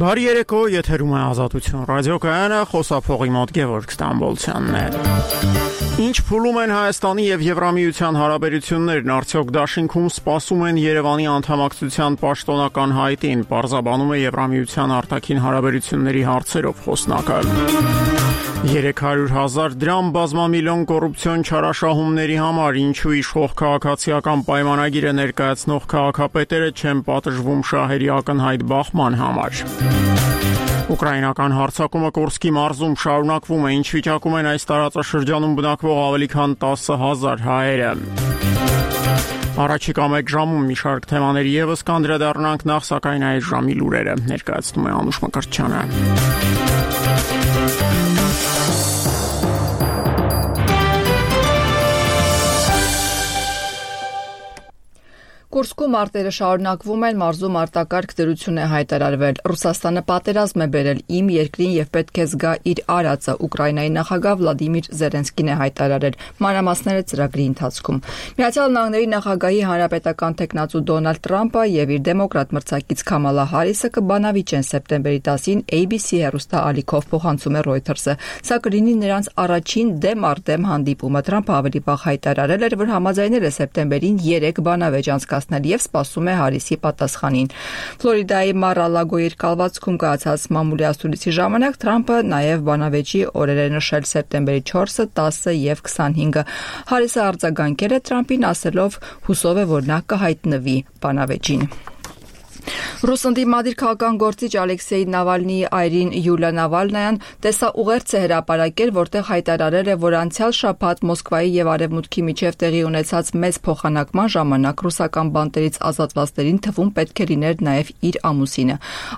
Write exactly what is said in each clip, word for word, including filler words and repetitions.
Բարի երեկո, եթերում է Ազատություն ռադիոկայանը, խոսափողի մոտ Գևորգ Ստամբոլցյանն է։ Ինչ փուլում են Հայաստանի եւ Եվրամիության հարաբերություններն, արդյոք դաշինքում սպասում են Երևանի անդամակցության պաշտոնական հայտին, պարզաբանում է Եվրամիության արտաքին հարաբերությունների հարցերով խոսնակը։ երեք հարյուր հազար դրամ բազմամիլիոն կոռուպցիոն չարաշահումների համար, ինչու իշխող քաղաքացիական պայմանագիրը ներկայացնող քաղաքապետերը չեն պատժվում շահերի ակնհայտ բախման համար։ Ուկրաինական հարձակումը Կուրսկի մարզում շարունակվում է, ինչ վիճակում են այս տարածաշրջանում բնակվող ավելի քան տասը հազար հայերը։ Առաջիկա մեկ ժամում մի շարք թեմաների ևս կանդրադառնանք, նախ սակայն այս ժամի լուրերը ներկայացնում է Անուշ Մկրտչյանը։ Կուրսկու մարտերը շարունակվում են, մարզում արտակարգ դրություն է հայտարարվել։ Ռուսաստանը պատերազմ է բերել իմ երկրին եւ պետք է զգա իր արածը, Ուկրաինայի նախագահ Վլադիմիր Զելենսկին է հայտարարել։ Մանրամասները ծրագրի ընթացքում։ Միացյալ Նահանգների նախագահի հանրապետական տեխնացու Դոնալդ Տրամպը եւ իր դեմոկրատ մրցակից Քամալա Հարիսը կբանավիճեն սեպտեմբերի տասին A B C հեռուստաալիքով, փոխանցում է Reuters-ը։ Սա կլինի նրանց առաջին դեմ առ դեմ հանդիպումը։ Տրամպը ավելի վաղ հայտարարել էր, որ համաձայնել է սեպտեմբերին երեք բանավեճ անցկացնել եւ սպասում է Հարիսի պատասխանին։ Ֆլորիդայի Մար-a-Լագո երկալվածքում կայացած մամուլի ասուլիսի ժամանակ Տրամպը նաեւ բանավեճի օրեր է նշել սեպտեմբերի չորսը, տասը եւ քսանհինգը։ Հարիսը արձագանքել է Տրամպին, ասելով հուսով է, որ նա կհայտնվի բանավեճին։ Ռուս ընդդիմադիր քաղաքական գործիչ Ալեքսեյ Նավալնիի այրին Յուլիա Նավալնայան տեսաուղերձ է հրապարակել, որտեղ հայտարարել է, որ անցյալ շաբաթ Մոսկվայի եւ Արևմուտքի միջև տեղի ունեցած մեծ փոխանակման ժամանակ ռուսական բանտերից ազատվածներին թվում պետք է լիներ նաեւ իր ամուսինը։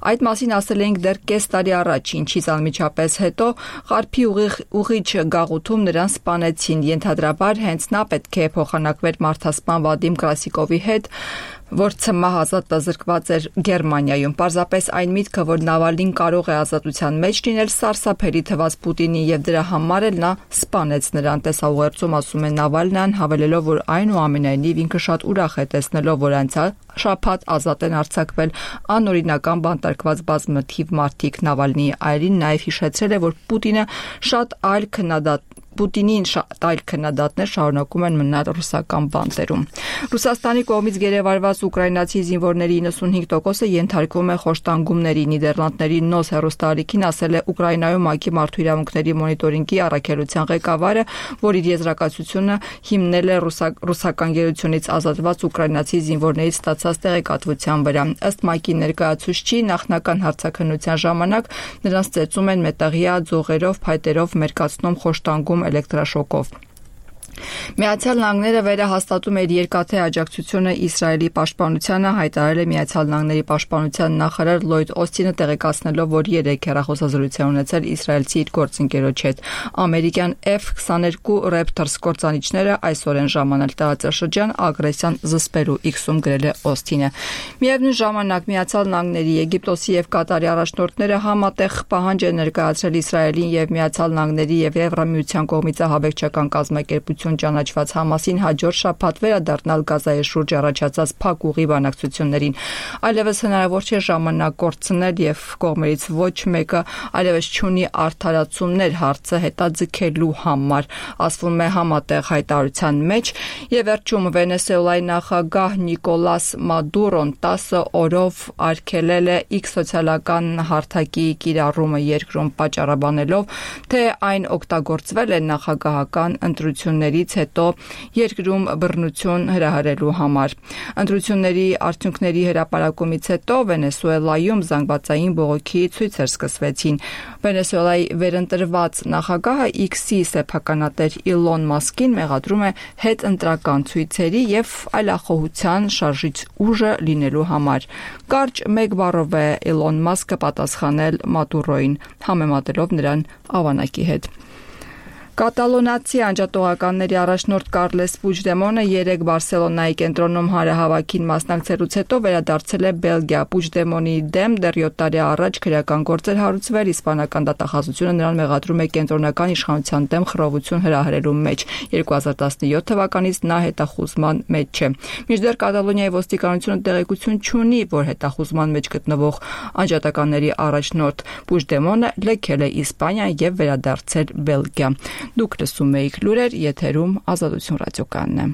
Այդ մասին ասել էինք դեռ կես տարի առաջ, ինչից անմիջապես հետո Ղարբի ուղիղ ուղիչ գաղութում նրան սպանեցին։ Ենթադրաբար հենց նա պետք է փոխանակվեր մարդասպան Վադիմ Կրասիկովի հետ, որ ցմահ զրկված էր Գերմանիայում։ Պարզապես այն միտքը, որ Նավալնին կարող է ազատության մեջ լինել, սարսափելի թվաց Պուտինին եւ դրա համար էլ նա սպանեց նրան։ Տեսաուղերձում ասում է Նավալնյան, հավելելով, որ այնուամենայնիվ ինքը շատ ուրախ է տեսնելով, որ անցյալ շաբաթ ազատ են արձակվել անօրինական բանտարկված բազմաթիվ մարդիկ։ Նավալնիի այրին նաեւ հիշեցրել է, որ Պուտինը շատ այլ քննադատ Պուտինին շատ այլ քննադատներ շարունակում են մնալ ռուսական բանտերում։ Ռուսաստանի կողմից գերեվարված ուկրաինացի զինվորների իննսունհինգ տոկոսը ենթարկվում է խոշտանգումների։ Նիդերլանդների նոս հեռուստաալիքին ասել է Ուկրաինայում ՄԱԿ-ի մարդու իրավունքների մոնիտորինգի առաքելության ղեկավարը, որ իր եզրակացությունը հիմնել է ռուսական գերությունից ազատված ուկրաինացի զինվորներից ստացած տեղեկատվության վրա։ Ըստ ՄԱԿ-ի ներկայացուցչի, նախնական հարցաքննության ժամանակ նրանց ծեծում են մետաղյա ձողերով, փայտերով մերկացնում, խոշտանգում էլեկտրաշոկով։ Միացյալ Նահանգները վերահաստատում է իր երկաթե աջակցությունը Իսրայելի պաշտպանությանը, հայտարարել է Միացյալ Նահանգների պաշտպանության նախարար Լլոյդ Օսթինը, տեղեկացնելով, որ երեք հեռախոսազրույց ունեցել իսրայելցի իր գործընկերոջ հետ։ Ամերիկյան F twenty-two Raptors կործանիչները այսօր են ժամանել տարածաշրջան ագրեսիան զսպելու, X-ում գրել է Օսթինը։ Միևնույն ժամանակ Միացյալ Նահանգների, Եգիպտոսի եւ Կատարի առաջնորդները համատեղ պահանջ են ներկայացրել Իսրայելին եւ Միացյալ Նահանգների եւ Եվրամիության կողմից ահաբեկչական կազմակերպություն ճանաչված Համասին հաջորդ շաբաթ վերադառնալ Գազայի շուրջ առաջացած փակ ուղի բանակցություններին։ Այլևս հնարավոր չէ ժամանակ կորցնել եւ կողմերից ոչ մեկը այլևս չունի արդարացումներ հարցը հետաձգելու համար, ասվում է համատեղ հայտարարության մեջ։ Եվ վերջում Վենեսուելայի նախագահ Նիկոլաս Մադուրոն տասը օրով արգելել է X սոցիալական հարթակի կիրառումը երկրում, պատճառաբանելով, թե այն օգտագործվել է նախագահական ընտրություններից հետո երկրում բռնություն հրահրելու համար։ Ընտրությունների արդյունքների հրապարակումից հետո Վենեսուելայում զանգվածային բողոքի ցույցեր սկսվեցին։ Վենեսուելայի վերընտրված նախագահը X-ի սեփականատեր Իլոն Մասկին մեղադրում է հետընտրական ցույցերի եւ այլախոհության շարժիչ ուժը լինելու համար։ Կարճ մեկ բառով է Իլոն Մասկը պատասխանել Մադուրոին, համեմատելով նրան ավանակի հետ։ Կատալոնացի անջատողականների առաջնորդ Կարլես Պուջդեմոնը երեկ Բարսելոնայի կենտրոնում հանրահավաքին մասնակցելուց հետո վերադարձել է Բելգիա։ Պուջդեմոնի դեմ դեռ յոթ տարի առաջ քրեական գործ էր հարուցվել, իսպանական դատախազությունը նրան մեղադրում է կենտրոնական իշխանության դեմ խռովություն հրահրելու մեջ։ երկու հազար տասնյոթ թվականից նա հետախուզման մեջ է։ Մինչդեռ Կատալոնիայի ոստիկանությունը տեղեկություն չունի, որ հետախուզման մեջ գտնվող անջատականների առաջնորդ Պուջդեմոնը լքել է Իսպանիա եւ վերադարձել Բելգիա։ Դուք լսում եք լուրեր, եթերում Ազատություն ռադիոկայանն է։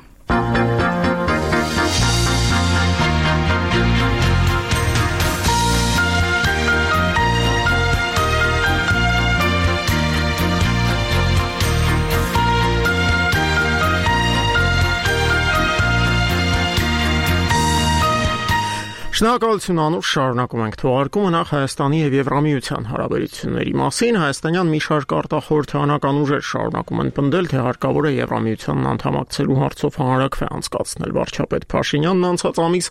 Շնորհակալություն Անուշ, շարունակում ենք թողարկումը նախ Հայաստանի եւ Եվրամիության հարաբերությունների մասին։ Հայաստանյան մի շարք արտախորհրդանական ուժեր շարունակում են պնդել, թե հարկավոր է Եվրամիությանն անդամակցելու հարցով հանրաքվե անցկացնել։ Վարչապետ Փաշինյանն անցած ամիս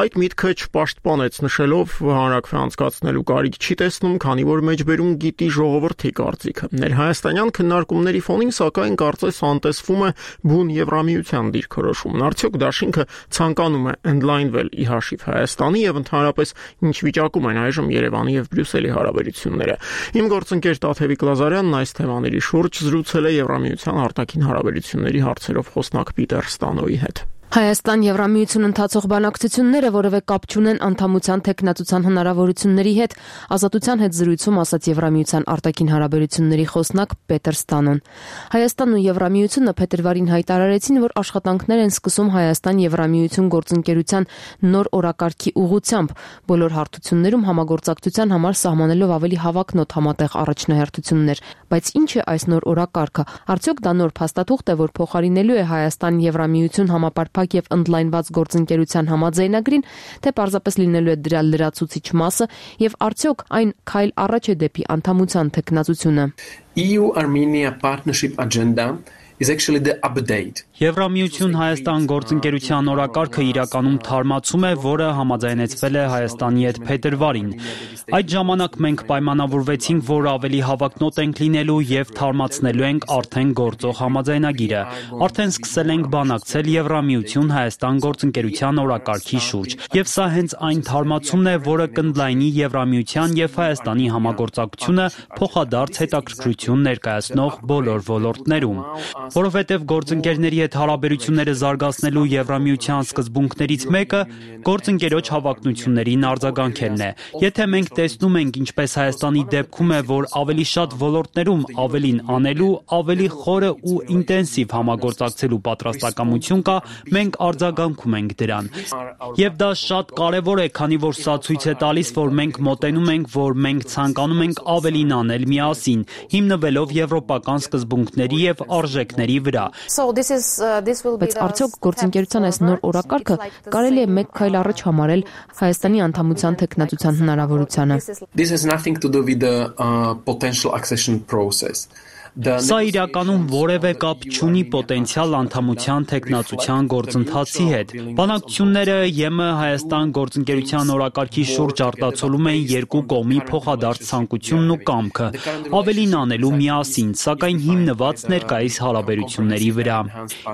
այդ միտքը չպաշտպանեց, նշելով, որ հանրաքվե անցկացնելու կարիք չի տեսնում, քանի որ մեջբերում գիտի ժողովրդի կարծիքը։ Ներհայաստանյան քննարկումների ֆոնին, սակայն, կարծես անտեսվում է բուն Եվրամիության դիրքորոշումն։ Արդյոք դաշինքը ցանկանում է ընդլայնվել ի հաշիվ Հայաստանի եւ ընդհանրապես ինչ վիճակում են այժմ Երևանի եւ Բրյուսելի հարաբերությունները։ Իմ գործընկեր Տաթևիկ Լազարյանն այս թեմաների շուրջ զրուցել է Եվրամիության արտաքին հարաբերությունների հարցերով խոսնակ Պիտեր Ստանոյի հետ։ Հայաստան-Եվրամիություն ընթացող բանակցությունները որևէ կապ չունեն անդամության թեկնածության հնարավորությունների հետ, Ազատության հետ զրույցում ասաց Եվրամիության արտաքին հարաբերությունների խոսնակ Պետր Ստանոն։ Հայաստանն ու Եվրամիությունը փետրվարին հայտարարեցին, որ աշխատանքներ են սկսում Հայաստան-Եվրամիություն գործընկերության նոր օրակարգի ուղղությամբ, բոլոր հարթություններում համագործակցության համար սահմանելով ավելի հավակնոտ համատեղ առաջնահերթություններ։ Բայց ինչ է այս նոր օրակարգը։ Արդյոք դա նոր փաստաթուղթ է, որ փոխարինելու է Հայաստան-Եվրամիություն համապարփակ եւ ընդլայնված գործընկերության համաձայնագրին, թե պարզապես լինելու է դրա լրացուցիչ մասը եւ արդյոք այն քայլ առաջ է դեպի անդամության թեկնածությունը։ E U-Armenia partnership agenda is actually the update. Եվրամիություն-Հայաստան գործընկերության օրակարգը իրականում թարմացում է, որը համաձայնեցվել է Հայաստանի հետ փետրվարին։ Այդ ժամանակ մենք պայմանավորվեցինք, որ ավելի հավակնոտ ենք լինելու եւ թարմացնելու ենք արդեն գործող համաձայնագիրը։ Արդեն սկսել ենք բանակցել Եվրամիություն-Հայաստան գործընկերության օրակարգի շուրջ։ Եվ սա հենց այն թարմացումն է, որը կընդլայնի Եվրամիության եւ Հայաստանի համագործակցությունը փոխադարձ հետաքրքրություն ներկայացնող բոլոր ոլորտներում։ Որովհետև գործընկերների հետ հարաբերությունները զարգացնելու Եվրամիության սկզբունքներից մեկը գործընկերոջ հավակնություններին արձագանքելն է։ Եթե մենք տեսնում ենք, ինչպես Հայաստանի դեպքում է, որ ավելի շատ ոլորտներում ավելին անելու, ավելի խորը ու ինտենսիվ համագործակցելու պատրաստակամություն կա, մենք արձագանքում ենք դրան։ Եվ դա շատ կարևոր է, քանի որ սա ցույց է տալիս, որ մենք մոտենում ենք, որ մենք ցանկանում ենք ավելին անել միասին, հիմնվելով եվրոպական սկզբունքների եւ արժեքների վրա։ Բայց արդյոք գործընկերության այս նոր օրակարգը կարելի է մեկ քայլ առաջ համարել Հայաստանի անդամության թեկնածության հնարավորությանը։ This has nothing to do with the uh, potential accession process. Սա իրականում որևէ կապ չունի պոտենցիալ անդամության թեկնածության գործընթացի հետ։ Բանակցությունները ԵՄ Հայաստան գործընկերության օրակարգի շուրջ արտացոլում են երկու կողմի փոխադարձ ցանկությունն ու կամքը ավելին անելու միասին, սակայն հիմնված ներկայիս հարաբերությունների վրա։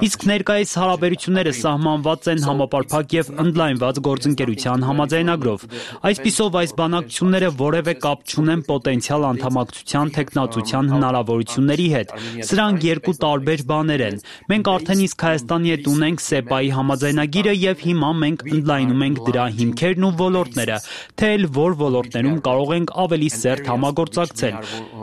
Իսկ ներկայիս հարաբերությունները սահմանված են համապարփակ եւ ընդլայնված գործընկերության համաձայնագրով։ Այսպիսով այս բանակցությունները որևէ կապ չունեն պոտենցիալ անդամակցության թեկնածության հնարավորություն հետ։ Սրանք երկու տարբեր բաներ են։ Մենք արդեն իսկ Հայաստանի հետ ունենք սեպայի համաձայնագիրը եւ հիմա մենք ընդլայնում ենք դրա հիմքերն ու ոլորտները, թե էլ որ ոլորտներում կարող ենք ավելի սերտ համագործակցել։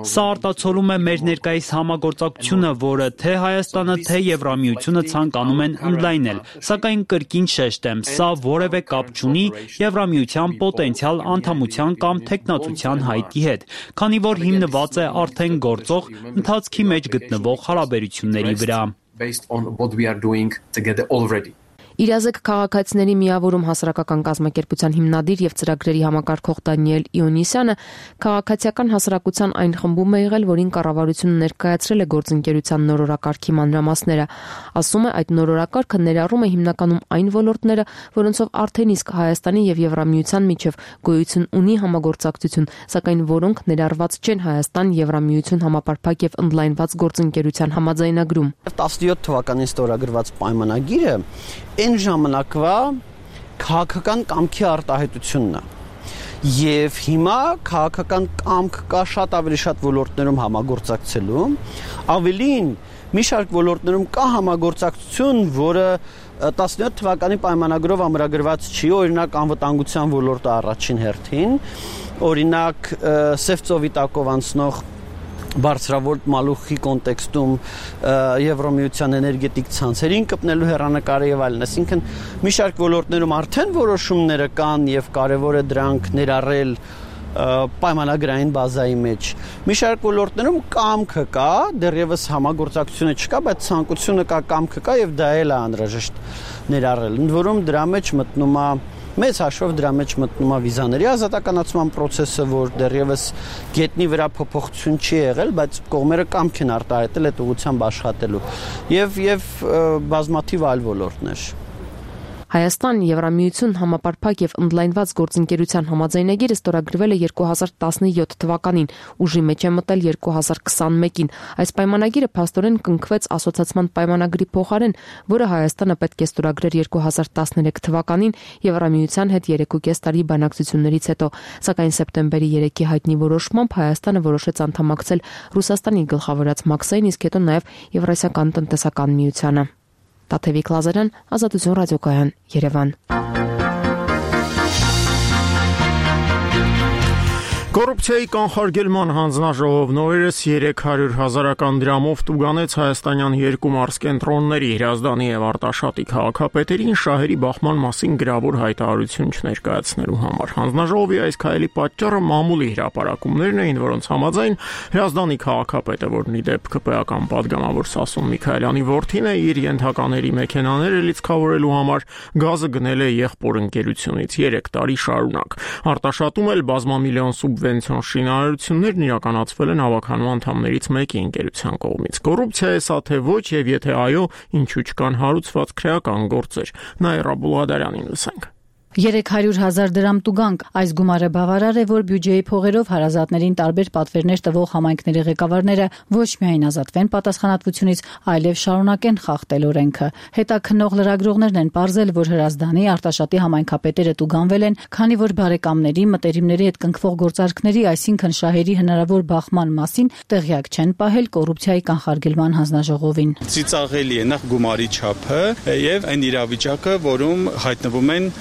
Սա արտացոլում է մեր ներկայիս համագործակցությունը, որը թե Հայաստանը, թե Եվրամիությունը ցանկանում են ընդլայնել, սակայն կրկին շեշտեմ, սա որևէ կապ չունի Եվրամիության պոտենցիալ անդամության կամ թեկնածության հայտի հետ, քանի որ հիմնված է արդեն գործող ընթացքի մեջ գտնվող հարաբերությունների վրա։ Based on what we are doing together already. Իրազեկ քաղաքացիների միավորում հասարակական կազմակերպության հիմնադիր եւ ծրագրերի համակարգող Դանիել Իոնիսյանը քաղաքացիական հասարակության այն խմբում է եղել, որին կառավարությունը ներկայացրել է գործընկերության նոր օրակարգի մանրամասները։ Ասում է, այդ նոր օրակարգը ներառում է հիմնականում այն ոլորտները, որոնցով արդեն իսկ Հայաստանի եւ Եվրամիության միջև գոյություն ունի համագործակցություն, սակայն որոնք ներառված չեն Հայաստան-Եվրամիություն համապարփակ եւ ընդլայնված գործընկերության համաձայնագրում։ տասնյոթ թվականին ստորագրված պայմանագիրը այն ժամանակվա քաղաքական կամքի արտահայտությունն է։ Եվ հիմա քաղաքական կամք կա շատ ավելի շատ ոլորտներում համագործակցելու, ավելին մի շարք ոլորտներում կա համագործակցություն, որը տասնյոթ թվականի պայմանագրով ամրագրված չի, օրինակ անվտանգության ոլորտը առաջին հերթին, օրինակ Սև ծովի տակով անցնող բարձրավոլտ մալուխի կոնտեքստում Եվրամիության էներգետիկ ցանցերին կպնելու հեռանկարը եւ այլն, այսինքն մի շարք ոլորտներում արդեն որոշումները կան եւ կարեւոր է դրանք ներառել պայմանագրային բազայի մեջ։ Մի շարք ոլորտներում կամքը կա, դեռևս համագործակցությունը չկա, բայց ցանկությունը կա, կամքը կա եւ դա էլ է անհրաժեշտ ներառել։ Ընդ որում դրա մեջ մտնում է մեծ հաշվով դրա մեջ մտնում է վիզաների ազատականացման process-ը, որ դեռևս գետնի վրա փոփոխություն չի եղել, բայց կողմերը կամք են արտահայտել այդ ուղղությամբ աշխատելու եւ եւ բազմաթիվ այլ ոլորտներ։ Հայաստան Եվրամիություն համապարփակ եւ ընդլայնված գործընկերության համաձայնագիրը ստորագրվել է երկու հազար տասնյոթ թվականին, ուժի մեջ է մտել երկու հազար քսանմեկին։ Այս պայմանագիրը փաստորեն կնքվեց ասոցիացիան պայմանագրի փոխարեն, որը Հայաստանը պետք է ստորագրեր երկու հազար տասներեք թվականին Եվրամիության հետ երեքուկես տարի բանակցություններից հետո, սակայն սեպտեմբերի երեքի հայտնի որոշմամբ Հայաստանը որոշեց անդամակցել Ռուսաստանի գլխավորած Մաքսային, իսկ հետո նաեւ Եվրասիական տնտեսական միությանը։ Տաթևիկ Լազարյան, Ազատություն ռադիոկայան, Երևան։ Կոռուպցիայի կանխարգելման հանձնաժողովն օրերս երեք հարյուր հազարական դրամով տուգանեց հայաստանյան երկու մարզկենտրոնների Հրազդանի եւ Արտաշատի քաղաքապետերին շահերի բախման մասին գրավոր հայտարարություն չներկայացնելու համար։ Հանձնաժողովի այս քայլի պատճառը մամուլի հրապարակումներն էին, որոնց համաձայն Հրազդանի քաղաքապետը, որն ի դեպ ԿՊ-ական падգամավոր Սասուն Միքայելյանի որդին է, իր ենթակաների մեքենաները լիցքավորելու համար գազը գնել է եղբոր ընկերությունից երեք տարի շարունակ։ Արտաշատում էլ բազմամիլիոն սուբ շինարարություններն իրականացվել են հավաքանու անդամներից մեկի ընկերության կողմից։ Կոռուպցիա է սա թե ոչ, եւ եթե այո, ինչու չկան հարուցված քրեական գործեր։ Նաիրա Բուլադարյանին լսենք։ երեք հարյուր հազար դրամ տուգանք։ Այս գումարը բավարար է, որ բյուջեի փողերով հարազատներին տարբեր պատվերներ տվող համայնքների ղեկավարները ոչ միայն ազատվեն պատասխանատվությունից, այլև շարունակեն խախտել օրենքը։ Հետաքննող լրագրողներն են պարզել, որ Հրազդանի, Արտաշատի համայնքապետերը տուգանվել են, քանի որ բարեկամների, մտերիմների հետ կնքվող գործարքների, այսինքն շահերի հնարավոր բախման մասին տեղյակ չեն պահել կոռուպցիայի կանխարգելման հանձնաժողովին։ Ծիծաղելի է նախ գումարի չափը եւ այն իրավիճակը, որում հայտնվում են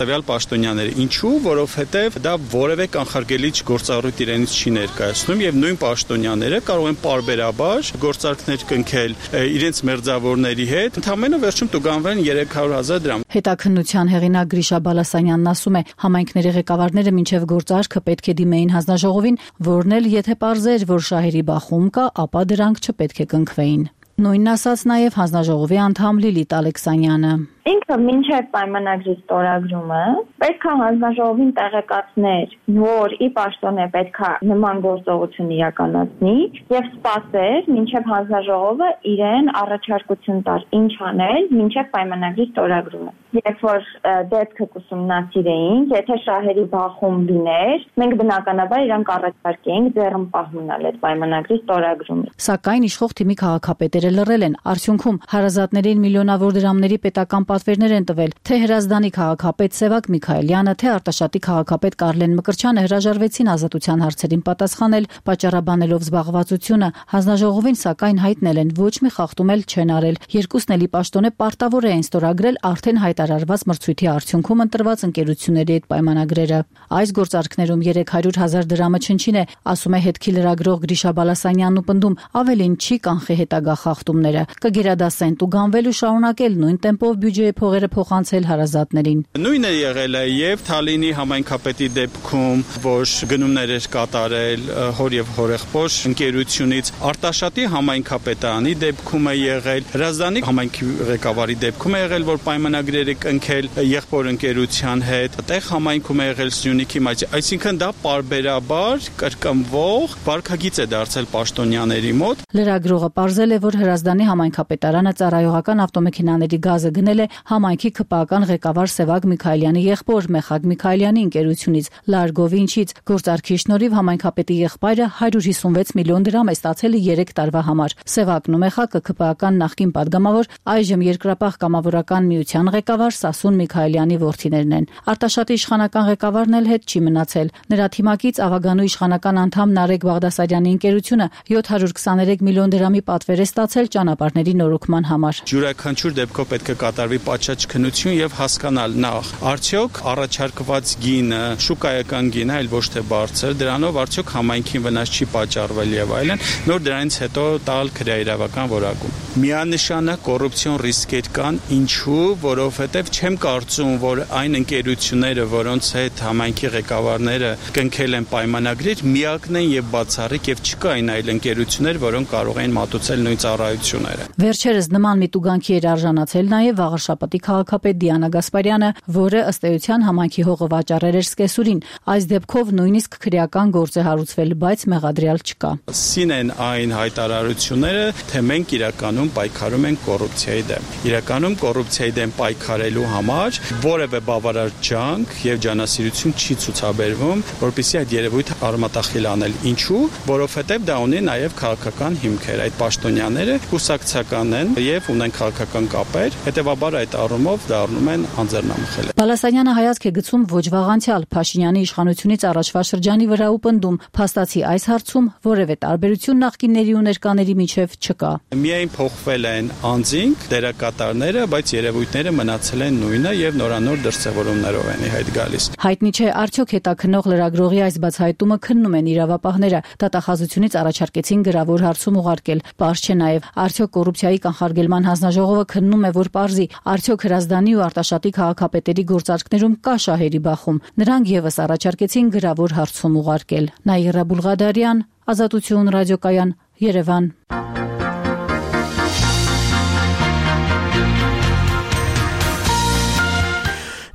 տվյալ պաշտոնյաները։ Ինչու? Որովհետև դա որևէ կանխարգելիչ գործառույթ իրենից չի ներկայացնում եւ նույն պաշտոնյաները կարող են պարբերաբար գործարքներ կնքել իրենց մերձավորների հետ, ընդհանրապես վերջում տուգանվել երեք հարյուր հազար դրամ։ Հետաքննության հեղինակ Գրիշա Բալասանյանն ասում է, համայնքների ղեկավարները մինչև գործարքը պետք է դիմեին հանձնաժողովին, որն էլ եթե պարզեր, որ շահերի բախում կա, ապա դրանք չպետք է կնքվեին։ Նույնն ասաց նաև հանձնաժողովի անդամ Լիլիթ Ալեքսանյանը։ Ինքը մինչև պայմանագրի ստորագրումը պետք է հանձնաժողովին տեղեկացներ, որ ի պաշտոնե պետք է նման գործողություն իրականացնի եւ սպասեր, մինչև հանձնաժողովը իրեն առաջարկություն տար ինչ անել մինչև պայմանագրի ստորագրումը։ Երբ որ դեպքը կուսումնասիրեինք, եթե շահերի բախում լիներ, մենք բնականաբար իրանք առաջարկեինք ձեռնպահ մնալ այդ պայմանագրի ստորագրումից։ Սակայն իշխող թիմի քաղաքապետերը լռել են։ Արդյունքում հարազատներին միլիոնավոր դրամների պետական պատվերներ են տվել, թե Հրազդանի քաղաքապետ Սևակ Միքայելյանը, թե Արտաշատի քաղաքապետ Կարլեն Մկրտչյանը հրաժարվեցին ազատության հարցերին պատասխանել, պատճառաբանելով զբաղվածությունը։ Հանձնաժողովին սակայն հայտնել են ոչ մի խախտում էլ չեն արել։ Երկուսն էլի պաշտոնե պարտավոր էին ստորագրել արդեն հայտարարված մրցույթի արդյունքում ընտրված ընկերությունների հետ պայմանագրերը։ Այս գործարքներում երեք հարյուր հազար դրամը չնչին է, ասում է հետքի լրագրող Գրիշա Բալասանյանն ու պնդում, ավելին չի կանխի հետագա խախտումները, կգերադասեն տուգանվել ու շարունակել նույն տեմպով բյուջեի փողերը փոխանցել հարազատներին։ Նույնը եղել է եւ Թալինի համայնքապետի դեպքում, որ գնումներ էր կատարել հոր եւ հորեղբոր ընկերությունից, Արտաշատի համայնքապետարանի դեպքում է եղել, Հրազդանի համայնքի ղեկավարի դեպքում է եղել, որ պայմանագրեր է կնքել եղբոր ընկերության հետ, տեղ համայնքում է եղել Սյունիքի մեջ, այսինքն դա պարբերաբար կրկնվող վարքագիծ է դարձել պաշտոնյաների մոտ։ Լրագրողը պարզել է, որ Հրազդանի համայնքապետարանը ծառայողական ավտոմեքենաների գազը գնել է համայնքի ՔՊԱ-ական ղեկավար Սևակ Միքայելյանի եղբոր Մեխակ Միքայելյանի ընկերությունից Լարգովինչից։ Գործարքի շնորհիվ համայնքապետի եղբայրը հարյուր հիսունվեց միլիոն դրամ է ստացել երեք տարվա համար։ Սևակն ու Մեխակը ՔՊԱ-ական նախկին падգամավոր, այժմ Երկրապահ կամավորական միության ղեկավար Սասուն Միքայելյանի որդիներն են։ Արտաշատի իշխանական ղեկավարն էլ հետ չի մնացել։ Նրա թիմակից Ավագանու իշխանական անդամ Նարեկ Բաղդասարյանի ընկերությունը յոթ հարյուր քսաներեք միլիոն դրամի պատվեր է ստացել ճանապարհների նորոգման համար։ Յուրաքանչյուր դեպքով պետք է կատարվի պատշաճ քննություն եւ հասկանալ նախ, արդյոք առաջարկված գինը շուկայական գին է, այլ ոչ թե բարձր, դրանով արդյոք համայնքին վնաս չի պատճառվել եւ այլն, նոր դրանից հետո տալ քրեայրավական որակում։ Միանշանակ կոռուպցիոն ռիսկեր կան, ինչու, որովհետեւ չեմ կարծում, որ այն ընկերությունները, որոնց հետ համայնքի ղեկավարները կնքել են պայմանագրեր, միակն են եւ բացառիկ եւ չկա այն այլ ընկերություններ, որոնք կարող են մատուցել նույն ծառայությունները։ Վերջերս նման միտուգանքի էր արժանացել նաեւ Վաղարշապատի քաղաքապետ Դիանա Գասպարյանը, որը ըստ էության համայնքի հողը վաճառել էր սկեսուրին։ Այս դեպքով նույնիսկ քրեական գործ է հարուցվել, բայց մեղադրյալ չկա։ Սին են այն հայտարարությունները, թե մենք իրականում պայքարում ենք կոռուպցիայի դեմ։ Իրականում կոռուպցիայի դեմ պայքարելու համար որևէ բավարար ջանք եւ ջանասիրություն չի ցուցաբերվում, որպեսզի այդ երևույթը արմատախիլ անել։ Ինչու? Որովհետեւ դա ունի նաեւ քաղաքական հիմքեր։ Այդ պաշտոնյաները կուսակցական են եւ ունեն քաղաքական կապեր, հետեւաբար այդ առումով դառնում են անձեռնամխել։ Բալասանյանը հայացք է գցում ոչ վաղանցյալ Փաշինյանի իշխանությունից առաջվա շրջանի վրա ու պնդում, փաստացի այս հարցում որևէ տարբերություն նախկինների ու ներկաների միջև չկա։ Միայն փոխվել են անձինք, դերակատարները, բայց երևույթները մնացել են նույնը եւ նորանոր դրսեւորումներով են իհայտ գալիս։ Հայտնի չէ, արդյոք հետաքննող լրագրողի այս բացահայտումը քննում են իրավապահները, դատախազությունից առաջարկեցին գրավոր հարցում ուղարկել։ Պարզ չէ նաեւ, արդյոք կոռուպցիայի կանխարգելման հանձնաժողովը քննում է, որ պարզի, արդյոք Հրազդանի ու Արտաշատի քաղաքապետերի գործարքներում կա շահերի բախում։ Նրանք եւս առաջարկեցին գրավոր հարցում ուղարկել։ Նաիրա Բուլղադարյան, Ազատություն ռադիոկայան, Երևան։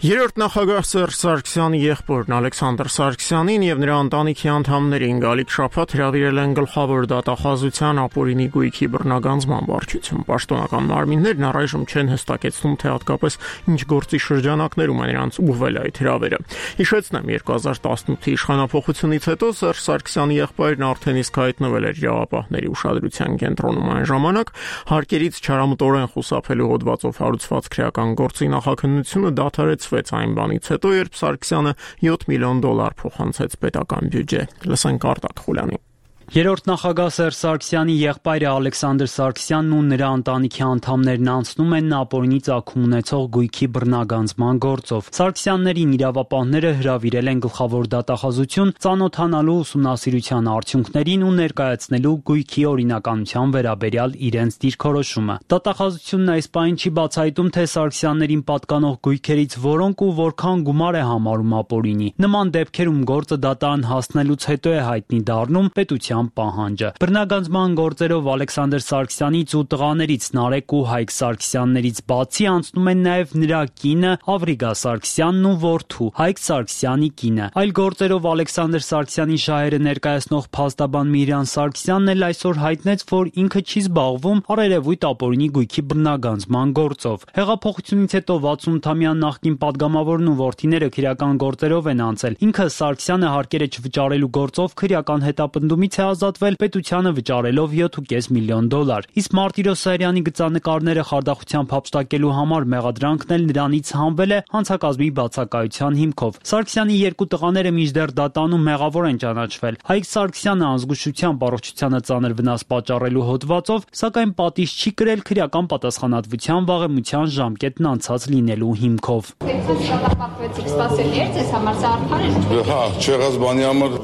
Երրորդ նախագահ Սերժ Սարգսյանի եղբորն Ալեքսանդր Սարգսյանին եւ նրա ընտանիքի անդամներին գալիք շաբաթ հրավիրել են գլխավոր դատախազության ապօրինի գույքի բռնագանձման վարչություն։ Պաշտոնական մարմիններն առայժմ չեն հստակեցնում, թե հատկապես ինչ գործի շրջանակներում է նրանց ուղղվել այդ հրավերը։ Հիշեցնեմ, երկու հազար տասնութի իշխանափոխությունից հետո Սերժ Սարգսյանի եղբայրն արդեն իսկ հայտնվել էր իրավապահների ուշադրության կենտրոնում այն ժամանակ, հարկերից չարամտորեն խուսափելու հոդվածով հարուցված քրեական գործի նախաքննությունը դադարեց այն բանից հետո, երբ Սարգսյանը յոթ միլիոն դոլար փոխանցեց պետական բյուջե։ Լսենք Արտակ Խուլյանի։ Երրորդ նախագահ Սերժ Սարգսյանի եղբայրը Ալեքսանդր Սարգսյանն ու նրա ընտանիքի անդամներն անցնում են ապօրինի ծագում ունեցող գույքի բռնագանձման գործով։ Սարգսյաններին իրավապահները հրավիրել են գլխավոր դատախազություն ծանոթանալու ուսումնասիրության արդյունքներին ու ներկայացնելու գույքի օրինականության վերաբերյալ իրենց դիրքորոշումը։ Դատախազությունն այս պահին չի բացահայտում, թե Սարգսյաններին պատկանող գույքերից որոնք ու որքան գումար է համարում ապօրինի։ Նման դեպքերում գործը դատարան հասնելուց հետո է հայտնի դառնում պետության պահանջը։ Բռնագանձման գործերով Ալեքսանդր Սարգսյանից ու տղաներից Նարեկ ու Հայկ Սարգսյաններից բացի անցնում են նաև նրա կինը Ավրիգա Սարգսյանն ու որդու Հայկ Սարգսյանի կինը։ Այլ գործերով Ալեքսանդր Սարգսյանի շահերը ներկայացնող փաստաբան Միրան Սարգսյանն էլ այսօր հայտնեց, որ ինքը չի զբաղվում առերևույթ ապօրինի գույքի բռնագանձման գործով։ Հեղափոխությունից հետո վաթսունութամյա նախկին падգամավորն ու որդիները քրեական գործերով են անցել։ Ինքը Սարգսյանը հարկերը չվճարելու գործով քրեական հետապնդումից է ազատվել, պետությանը վճարելով յոթ ու կես միլիոն դոլար։ Իսկ Մարտիրոս Սարյանի գծանկարները խարդախությամբ հափշտակելու համար մեղադրանքն էլ նրանից հանվել է հանցակազմի բացակայության հիմքով։ Սարգսյանի երկու տղաները մինչդեռ դատանում մեղավոր են ճանաչվել։ Հայկ Սարգսյանը անզգուշությամբ առողջությանը ծանր վնաս պատճառելու հոդվածով, սակայն պատիժ չի կրել քրեական պատասխանատվության վաղեմության ժամկետն անցած լինելու հիմքով։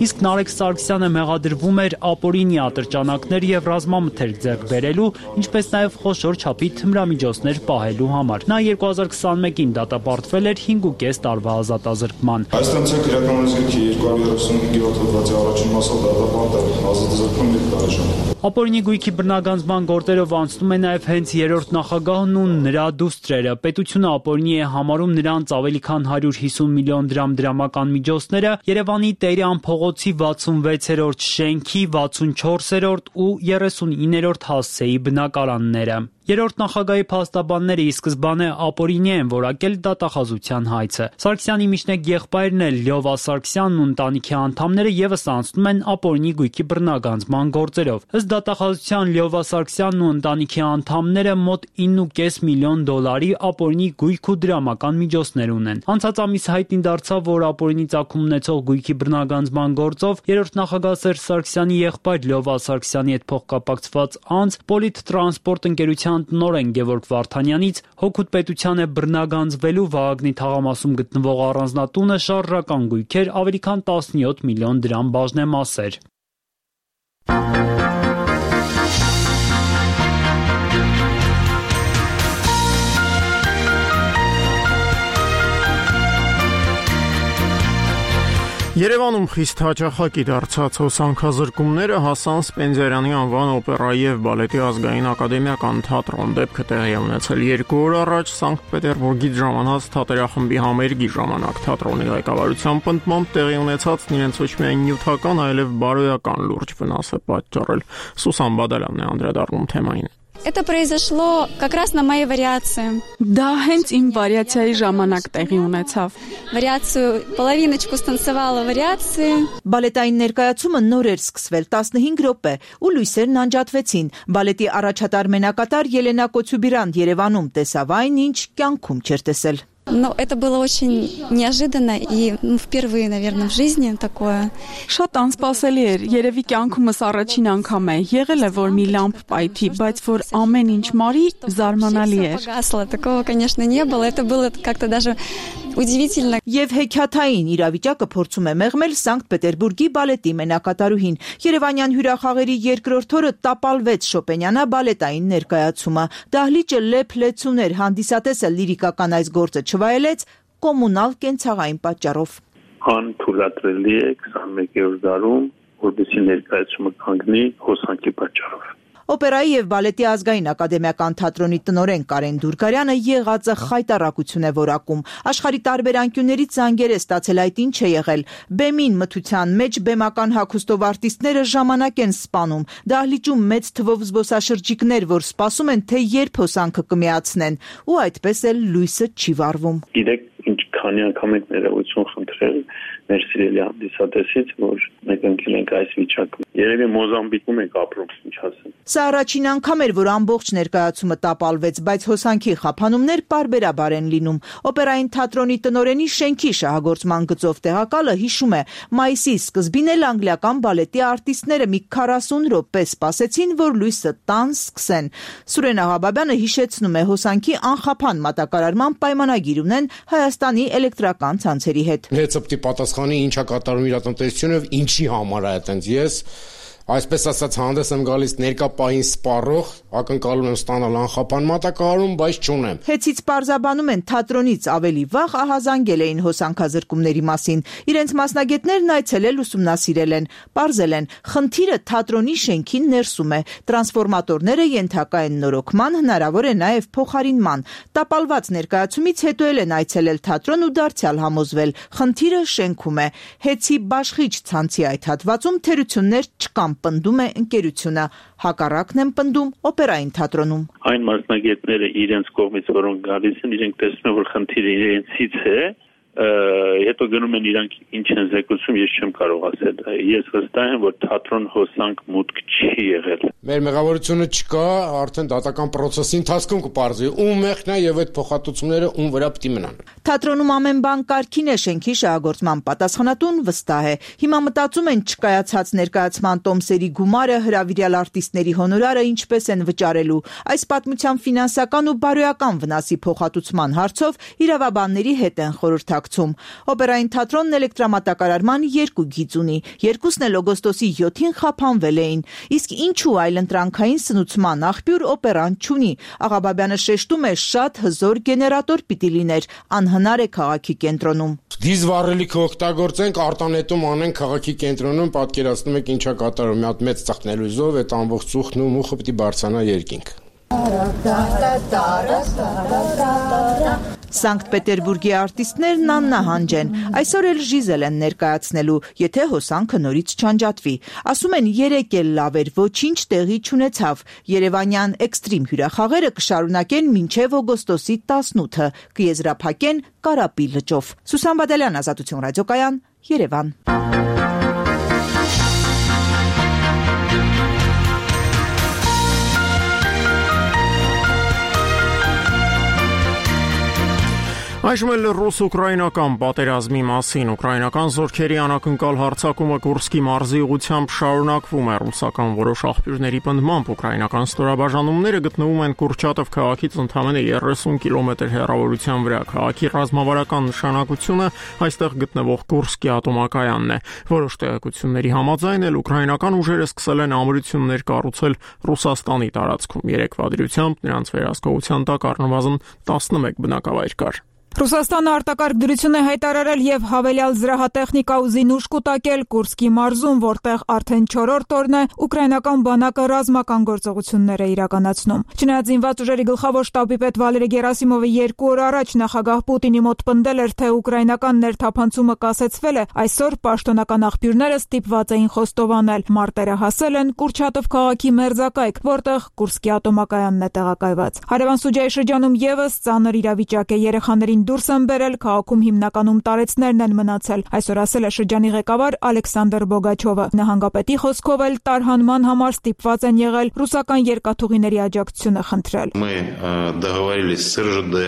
Իսկ Նարեկ Սարգսյանը մեղադրվում էր նոր ապօրինի ատրճանակներ եւ ռազմամթերք ձեռք բերելու, ինչպես նաեւ խոշոր չափի թմրամիջոցներ պահելու համար։ Նա երկու հազար քսաներկին դատապարտվել էր հինգ ու կես տարվա ազատազրկման։ Հայաստանցի քրեականության գրքի երկու հարյուր հիսունհինգերորդ հոդվածի առաջին մասով դատապարտել ազատազրկում մի տարեժամ։ Ապօրինի գույքի բռնագանձման գործերով անցնում է նաեւ հենց երրորդ նախագահն ու նրա դուստրերը։ Պետությունը ապօրինի է համարում նրանց ավելի քան հարյուր հիսուն միլիոն դրամ դրամական միջոցները, Երևանի Տերյան փողոցի վաթսունվեցերորդ շենքի վաթսունչորսերորդ ու երեսունիններորդ հասցեի բնակարանները։ Երրորդ նախագահի փաստաբանները ի սկզբանե ապօրինի են որակել դատախազության հայցը։ Սարգսյանի միջնեկ եղբայրն էլ Լյովա Սարգսյանն ու ընտանիքի անդամները եւս անցնում են ապօրինի գույքի բռնագանձման գործերով։ Ըստ դատախազության Լյովա Սարգսյանն ու ընտանիքի անդամները մոտ ինը ու կես միլիոն դոլարի ապօրինի գույք ու դրամական միջոցներ ունեն։ Անցած ամիս հայտնի դարձավ, որ ապօրինի ծագում ունեցող գույքի բռնագանձման գործով երրորդ նախագահ Սերժ Սարգսյանի եղբայր Լյովա Սարգսյանի հետ փոխկապակցված անձ Պոլիտ-տրանսպորտ ընկերության տնօրեն Գևորգ Վարդանյանից հօգուտ պետության է բռնագանձվելու Վահագնի թաղամասում գտնվող առանձնատունը շարժական գույքեր ավելի քան տասնյոթ միլիոն դրամ բաժնեմասեր։ Երևանում խիստ հաճախակի դարձած հոսանքազրկումները հասան Սպենդիարյանի անվան օպերայի եւ բալետի ազգային ակադեմիական թատրոն։ Դեպքը տեղի է ունեցել երկու օր առաջ Սանկտ Պետերբուրգից ժամանած թատերախմբի համերգի ժամանակ։ Թատրոնի ղեկավարության պնդմամբ տեղի ունեցածն իրենց ոչ միայն նյութական, այլև բարոյական լուրջ վնաս է պատճառել։ Սուսան Բադալյանն է անդրադառնում թեմային։ Это произошло как раз на моей вариации. Դա հենց իմ վարիացիայի ժամանակ տեղի ունեցավ։ Վարիացию половиночку станцевала вариации. Բալետային ներկայացումը նոր էր սկսվել տասնհինգ րոպե ու լույսերն անջատվեցին։ Բալետի առաջատար մենակատար Ելենա Կոցյուբիրան Երևանում տեսավ այն, ինչ կյանքում չէր տեսել։ Но это было очень неожиданно и ну, впервые, наверное, в жизни такое. Շատ անսպասելի էր, երևի կյանքումս առաջին անգամ է եղել է, որ մի լամպ պայթի, բայց որ ամեն ինչ մարի զարմանալի էր։ Погасло, такого, конечно, не было. Это было как-то даже удивительно. Եվ հեքիաթային իրավիճակը փորձում է մեղմել Սանկտ Պետերբուրգի բալետի մենակատարուհին։ Երևանյան հյուրախաղերի երկրորդ օրը տապալվեց Շոպենյանա բալետային ներկայացումը։ Դահլիճը լեփ-լեցուն էր, հանդիսատեսը լիրիկական այս գործը չվայելեց կոմունալ կենցաղային պատճառով։ Անթույլատրելի է քսաներկերորդ դարում, որպեսզի ներկայացումը կանգնի հոսանքի պատճառով։ Օպերայի եւ բալետի ազգային ակադեմիական թատրոնի տնօրեն Կարեն Դուրգարյանը եղածը խայտարակություն է որակում։ Աշխարհի տարբեր անկյուններից զանգեր է ստացել այդ ինչ է եղել։ Բեմին մթության մեջ բեմական հագուստով արտիստները ժամանակ են սպանում։ Դահլիճում մեծ թվով զբոսաշրջիկներ, որ սպասում են, թե երբ հոսանքը կմիացնեն, ու այդպես էլ լույսը չի վառվում։ Գիտեք, ինչ քանի անգամ ենք ներողություն խնդրել մեր սիրելի հանդիսատեսից, որ մենք ընկել ենք այս վիճակում։ Երևի Մոզամբիկում ենք ապրում, ինչ ասեմ։ Սա առաջին անգամ էր, որ ամբողջ ներկայացումը տապալվեց, բայց հոսանքի խափանումներ պարբերաբար են լինում։ Օպերային թատրոնի տնօրենի շենքի շահագործման գծով տեղակալը հիշում է, մայիսի սկզբին էլ անգլիական բալետի արտիստները մի քառասուն րոպե սպասեցին, որ լույսը տան սկսեն։ Սուրեն Աղաբաբյանը հիշեցնում է, հոսանքի անխափան մատակարարման պայմանագիր ունեն Հայաստանի էլեկտրական ցանցերի հետ։ Հեծպտի պատասխանի ինչա կատարում իր տնտեսությունը, ինչի համար է այդտենց ես այսպես ասած հանդես եմ գալիս ներկա պահին սպառող, ակնկալում եմ ստանալ անխափան մատակարարում, բայց չունեմ։ Հեծից պարզաբանում են թատրոնից ավելի վաղ ահազանգել էին հոսանքազրկումների մասին։ Իրենց մասնագետներն այցելել ուսումնասիրել են, պարզել են, խնդիրը թատրոնի շենքի ներսում է։ Տրանսֆորմատորները ենթակա են նորոգման, հնարավոր է նաև փոխարինման։ Տապալված ներկայացումից հետո էլ են այցելել թատրոն ու դարձյալ համոզվել, խնդիրը շենքում է։ Հեծի բաշխիչ ցանցի այդ հատվածում թերություններ չկան, պնդում է ընկերությունը, հակառակն են պնդում օպերային թատրոնում։ Այն մասնագետները իրենց կողմից, որոնք գալիս են, իրենք տեսնում են, որ խնդիրը իրենցից է, հետո գնում են իրանք ինչ են զեկուցում, ես չեմ կարող ասել։ Ես վստահ եմ, որ թատրոն հոսանք մուտք չի եղել։ Մեր մեղավորությունը չկա, արդեն դատական process-ի ընթացքում կպարզվի ում մեղքն է եւ այդ փոխհատուցումները ում վրա պիտի մնան։ Թատրոնում ամեն բան կարգին է, շենքի շահագործման պատասխանատուն վստահ է։ Հիմա մտածում են չկայացած ներկայացման տոմսերի գումարը, հրավիրյալ արտիստների հոնորարը ինչպես են վճարելու։ Այս պատմության ֆինանսական ու բարոյական վնասի փոխհատուցման հարցով իրավաբանների հետ են խորհրդակցում կուսակցում։ Օպերային թատրոնն էլեկտրամատակարարման երկու գիծ ունի, երկուսն էլ օգոստոսի յոթին խափանվել էին, իսկ ինչու այլընտրանքային սնուցման աղբյուր օպերան չունի։ Աղաբաբյանը շեշտում է, շատ հզոր գեներատոր պիտի լիներ, անհնար է քաղաքի կենտրոնում։ Դիզվառելիքը օգտագործենք, արտանետում անենք քաղաքի կենտրոնում, պատկերացնում եք ինչա կատարում, մի հատ մեծ ծխնելույզով այդ ամբողջ ծուխն ու մուխը պիտի բարձրանա երկինք։ Սանկտ Պետերբուրգի արտիստներն աննահանջ են, այսօր էլ Ժիզել են ներկայացնելու, եթե հոսանքը նորից չանջատվի։ Ասում են երեկ էլ լավ էր, ոչինչ տեղի չունեցավ։ Երևանյան էքստրիմ հյուրախաղերը կշարունակեն մինչև օգոստոսի տասնութը, կեզրափակեն Կարապի լճով։ Սուսան Բադալյան, Ազատություն ռադիոկայան, Երևան։ Այժմ էլ ռուս-ուկրաինական պատերազմի մասին ուկրաինական զորքերի անակնկալ հարձակումը Կուրսկի մարզի ուղղությամբ շարունակվում է։ Ռուսական որոշ աղբյուրների պնդմամբ ուկրաինական ստորաբաժանումները գտնվում են Կուրչատով քաղաքից ընդամենը երեսուն կիլոմետր հեռավորության վրա։ Քաղաքի ռազմավարական նշանակությունը այստեղ գտնվող Կուրսկի ատոմակայանն է։ Որոշ տեղեկությունների համաձայն էլ ուկրաինական ուժերը սկսել են ամրություններ կառուցել Ռուսաստանի տարածքում։ Երեկվա դրությամբ նրանց վերահսկողության տակ առնվազն տասնմեկ բնակավայր կար։ Ռուսաստանը արտակարգ դրություն է հայտարարել եւ հավելյալ զրահատեխնիկա ու զինուշ կուտակել Կուրսկի մարզում, որտեղ արդեն չորրորդ օրն է ուկրաինական բանակը ռազմական գործողություններ է իրականացնում։ Չնայած զինված ուժերի գլխավոր շտաբի պետ Վալերի Գերասիմովը երկու օր առաջ նախագահ Պուտինի մոտ պնդել էր, թե ուկրաինական ներթափանցումը կասեցվել է, այսօր պաշտոնական աղբյուրները ստիպված էին խոստովանել, մարտերը հասել են Կուրչատով քաղաքի մերձակայք, որտեղ Կուրսկի ատոմակայանն է տեղակայված։ Հարևան Սուջայի շրջանում եւս ծանր իրավիճակ է, երեխաներին դուրս են բերել, քաղաքում հիմնականում տարեցներն են մնացել, այսօր ասել է շրջանի ղեկավար Ալեքսանդր Բոգաչովը։ Նահանգապետի խոսքով էլ տարհանման համար ստիպված են եղել ռուսական երկաթուղիների աջակցությունը խնդրել։ Мы договорились с эр жэ дэ,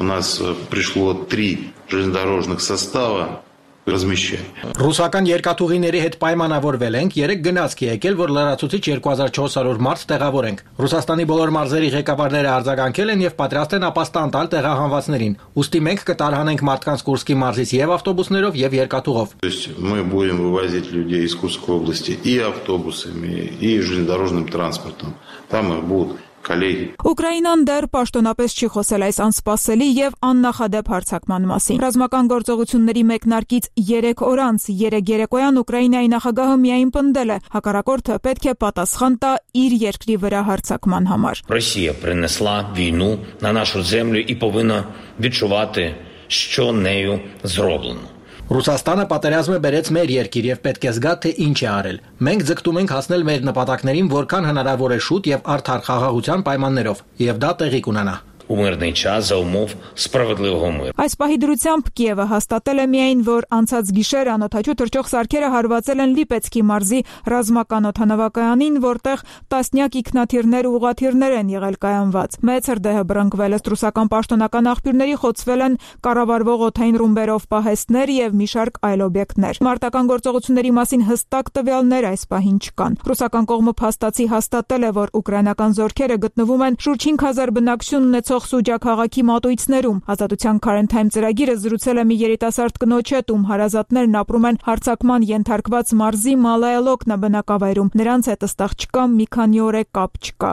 у нас пришло три железнодорожных состава. Ռուսական երկաթուղիների հետ պայմանավորվել ենք, երեք գնացք է եկել, որ լրացուցիչ երկու հազար չորս հարյուր մարդ տեղավորենք։ Ռուսաստանի բոլոր մարզերի ղեկավարները արձագանքել են եւ պատրաստ են ապաստան տալ տեղահանվածներին։ Ուստի մենք կտարհանենք մարդկանց Կուրսկի մարզից եւ ավտոբուսներով եւ երկաթուղով։ То есть мы будем вывозить людей из Курской области и автобусами, и железнодорожным транспортом. Там их будут Ուկրաինան դեռ պաշտոնապես չի խոսել այս անսպասելի եւ աննախադեպ հարձակման մասին։ Ռազմական գործողությունների մեկնարկից երեք օր անց երեք երեկոյան Ուկրաինայի նախագահը միայն պնդել է, հակառակորդը պետք է պատասխան տա իր երկրի վրա հարձակման համար։ Росія принесла війну на нашу землю і повинна відчувати, що нею зроблено. Ռուսաստանը պատերազմը բերեց մեր երկիր եւ պետք է զգա, թե ինչ է արել։ Մենք ձգտում ենք հասնել մեր նպատակներին որքան հնարավոր է շուտ եւ արդար խաղաղության պայմաններով, եւ դա տեղի կունենա։ У мирний час за умов справедливого миру. Այս պահի դրությամբ Կիևը հաստատել է միայն, որ անցած գիշեր անօթաչու թռչող սարքերը հարվածել են Լիպեցկի մարզի ռազմական օդանավակայանին, որտեղ տասնյակ ինքնաթիռներ ու ուղղաթիռներ են եղել կայանված։ Մեծ հրդեհը բռնկվել ըստ ռուսական պաշտոնական աղբյուրների խոցվել են կառավարվող օդային ռումբերով պահեստներ եւ մի շարք այլ օբյեկտներ։ Մարտական գործողությունների մասին հստակ տվյալներ այս պահին չկան։ Ռուսական կողմը փաստացի հաստատել է, որ ուկրաինական զորքերը գտնվում են շուրջ հինգ հազար բնակչություն ունեցող Սուջա քաղաքի մատույցներում։ Ազատության Current Time ծրագիրը զրուցել է մի երիտասարդ կնոջ հետ, ում հարազատներն ապրում են հարձակման ենթարկված մարզի Մալայելոկնա բնակավայրում։ Նրանց հետ ըստեղ չկա մի քանի օր է կապ չկա։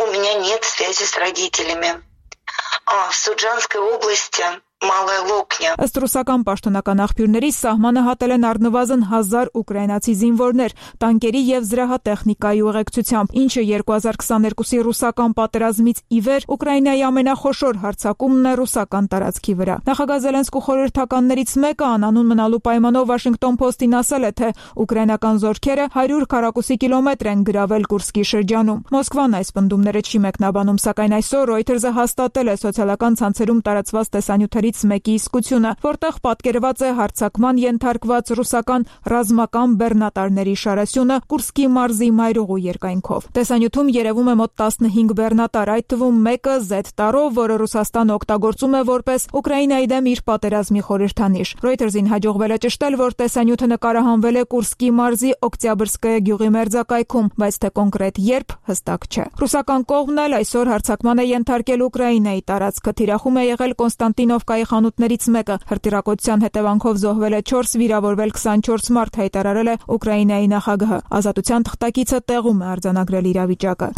У меня нет связи с родителями. А в Суджанской области Малая Локня. Ըստ ռուսական պաշտոնական աղբյուրների սահմանը հատել են առնվազն հազար ուկրաինացի զինվորներ, տանկերի եւ զրահատեխնիկայի ուղեկցությամբ, ինչը երկու հազար քսաներկուսի ռուսական պատերազմից ի վեր Ուկրաինայի ամենախոշոր հարձակումն է ռուսական տարածքի վրա։ Նախագահ Զելենսկու խորհրդականներից մեկը անանուն մնալու պայմանով Washington Post-ին ասել է, թե ուկրաինական զորքերը հարյուր քառակուսի կիլոմետր են գրավել Կուրսկի շրջանում։ Մոսկվան այս պնդումները չի մեկնաբանում, սակայն այսօր Reuters-ը հաստատել է սոցիալական ցանցերում տարածված տեսանյութերի մեկի իսկությունը, որտեղ պատկերված է հարձակման ենթարկված ռուսական ռազմական բեռնատարների շարասյունը Կուրսկի մարզի մայրուղու երկայնքով։ Տեսանյութում երևում է մոտ տասնհինգ բեռնատար, այդ թվում մեկը զեդ տարով, որը Ռուսաստանը օգտագործում է որպես Ուկրաինայի դեմ իր պատերազմի խորհրդանիշ։ Reuters-ին հաջողվել է ճշտել, որ տեսանյութը նկարահանվել է Կուրսկի մարզի Օկտյաբրսկայա գյուղի մերձակայքում, բայց թե կոնկրետ երբ հստակ չէ։ Ռուսական կողմն էլ այսօր հարձակման է ենթարկել Ուկրաինայի տարածքը, թիրախում է եղել Կոնստանտինովկա տեխնիկայի խանութներից մեկը։ Հրթիռակոծության հետևանքով զոհվել է չորս, վիրավորվել քսանչորս մարդ, հայտարարել է Ուկրաինայի նախագահը։ Ազատության թղթակիցը տեղում է արձանագրել իրավիճակը։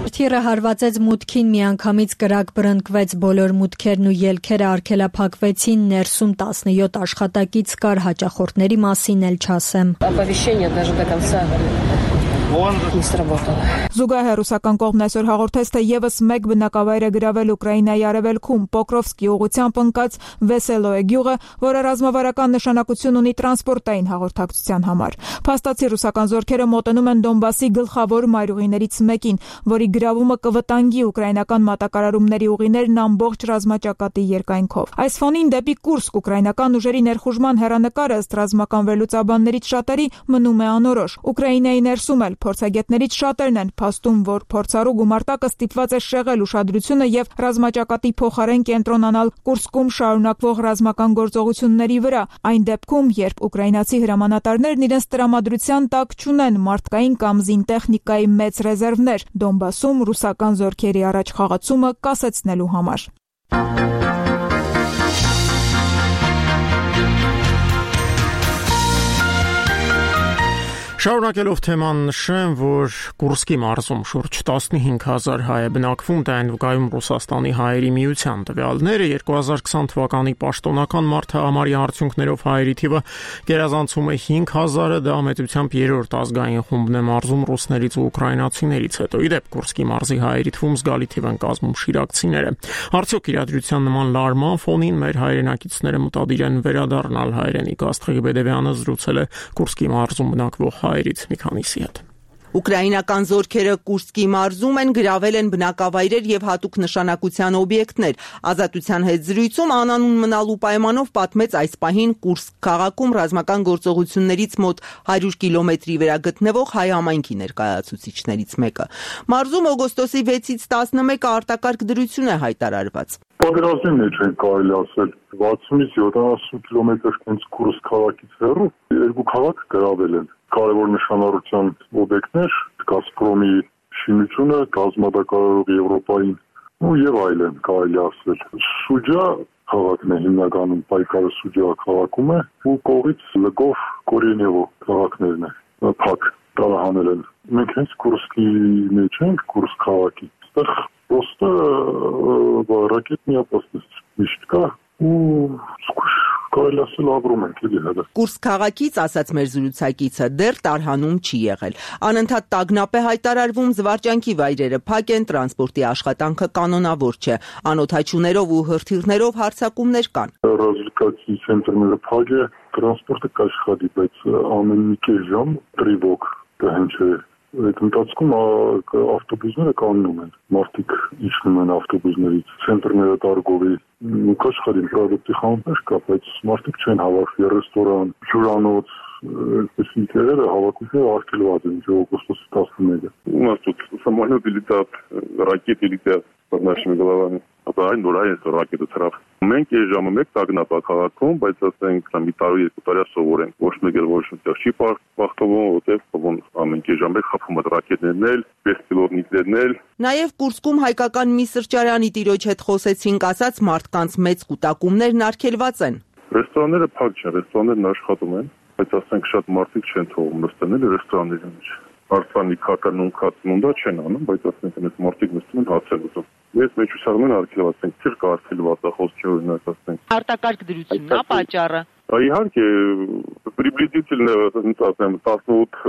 Հրթիռը հարվածեց մուտքին, միանգամից կրակ բռնկվեց, բոլոր մուտքերն ու ելքերը արգելափակվեցին, ներսում տասնյոթ աշխատակից կար, հաճախորդների մասին էլ չասեմ։ Զուգահեռ ռուսական կողմն այսօր հաղորդեց, թե եւս մեկ բնակավայր է գրավել Ուկրաինայի արևելքում Պոկրովսկի ուղղությամբ ընկած Վեսելոե գյուղը, որը ռազմավարական նշանակություն ունի տրանսպորտային հաղորդակցության համար։ Փաստացի ռուսական զորքերը մոտենում են Դոնբասի գլխավոր մայրուղիներից մեկին, որի գրավումը կվտանգի ուկրաինական մատակարարումների ուղիներն ամբողջ ռազմաճակատի երկայնքով։ Այս ֆոնին դեպի Կուրսկ ուկրաինական ուժերի ներխուժման հեռանկարը ըստ ռազմական վերլուծաբաններից շատերի մնում է անորոշ։ Ուկրաինայի ներսում էլ փորձագետներից շատերն են փաստում, որ փորձառու գումարտակը ստիպված է շեղել ուշադրությունը եւ ռազմաճակատի փոխարեն կենտրոնանալ Կուրսկում շարունակվող ռազմական գործողությունների վրա, այն դեպքում, երբ ուկրաինացի հրամանատարներն իրենց տրամադրության տակ չունեն մարդկային կամ զինտեխնիկայի մեծ ռեզերվներ Դոնբասում ռուսական զորքերի առաջ խաղացումը կասեցնելու համար։ Շարունակելով թեման նշեմ, որ Կուրսկի մարզում շուրջ տասնհինգ հազար հայ է բնակվում, դա են վկայում Ռուսաստանի հայերի միության տվյալները։ երկու հազար քսան թվականի պաշտոնական մարդահամարի արդյունքներով հայերի թիվը գերազանցում է հինգ հազարը, դա մեծությամբ երրորդ ազգային խումբն է մարզում ռուսներից ու ուկրաինացիներից հետո։ Ի դեպ, Կուրսկի մարզի հայերի թվում զգալի թիվ են կազմում շիրակցիները։ Արդյոք իրադրության նման լարման ֆոնին մեր հայրենակիցները մտադիր են վերադառնալ հայրենիք։ Աստղիկ Բեդևյանը զրուցել է Կուրսկի մարզում բնակվող հայերից մի քանիսի հետ։ Ուկրաինական զորքերը Կուրսկի մարզում են գրավել են բնակավայրեր եւ հատուկ նշանակության օբյեկտներ։ Ազատության հետ զրույցում անանուն մնալու պայմանով պատմեց այս պահին Կուրսկ քաղաքում ռազմական գործողություններից մոտ հարյուր կիլոմետրի վրա գտնվող հայ համայնքի ներկայացուցիչներից մեկը։ Մարզում օգոստոսի վեցից տասնմեկը արտակարգ դրություն է հայտարարված։ Պատերազմի մեջ են կարելի ասել վաթսունից յոթանասուն կիլոմետր հենց Կուրսկ քաղաքից հեռու երկու քաղաք գրավել են։ Կարևոր նշանառության օբյեկտներ, Գազպրոմի շինությունը, գազմատակարարող Եվրոպային ու եւ այլն կարելի ասել։ Շուջա քաղաքն է հիմնականում պայքարը Շուջա քաղաքում է ու կողից Լկով, Կորենևո քաղաքներն է փակ տարահանել են։ Մենք հենց Կուրսկի մեջ ենք, Կուրսկ քաղաքի։ Այստեղ պոստը ռակետնի ապաստես միշտ կա ու սկուշ կարելի ասել ապրում ենք էլի հələ։ Կուրսկ քաղաքից, ասաց մեր զրուցակիցը, դեռ տարհանում չի եղել։ Անընդհատ տագնապ է հայտարարվում, զվարճանքի վայրերը փակ են, տրանսպորտի աշխատանքը կանոնավոր չէ։ Անօդաչուներով ու հրթիռներով հարձակումներ կան։ Ռազմիկացի ցենտրները փակ է, տրանսպորտը կաշխատի, բայց ամեն մի կես ժամ տրիվոկ կհնչի։ Այդ ընթացքում ավտոբուսները կանգնում են, մարդիկ իջնում են ավտոբուսներից, ցենտրները տարգովի ու կաշխատին պրոդուկտի խանութներ կա, բայց մարդիկ չեն հավաքվի, ռեստորան, հյուրանոց, այսպես ինտերերը հավաքությունները արգելված են օգոստոսի տասնմեկը։ У нас тут самолеты летят, ракеты летят под нашими головами. Ապա այն որ այս ռակետը ծրավ։ Մենք այս ժամը մեկ տագնապ քաղաքում, բայց ասենք մի տարի երկու տարի սովորենք, ոչ մեկ էլ ոչ մտեղ չի բախտովում, որտեղ ո՞ն ամեն կես ժամ խփում է ռակետներն էլ, բեսպիլոտնիկներն էլ։ Նաև Կուրսկում հայկական մի սրճարանի տիրոջ հետ խոսեցինք, ասաց մարդկանց մեծ կուտակումներն արգելված են։ Ռեստորանները փակ չեն, ռեստորաններն աշխատում են, բայց ասենք շատ մարդիկ չեն թողում նստել ռեստորանների մեջ։ Արցանի քականուն քացնուն դա չեն անում, բայց ասենք այս մարդիկ նստում են հացել ուտում։ Ես մեջ ուսաղում են արգելված են, չեր կարգելված է խոսքի օրինակ ասենք։ Արտակարգ դրությունն է պատճառը։ Իհարկե, приблизительно, ասեմ, տասնութ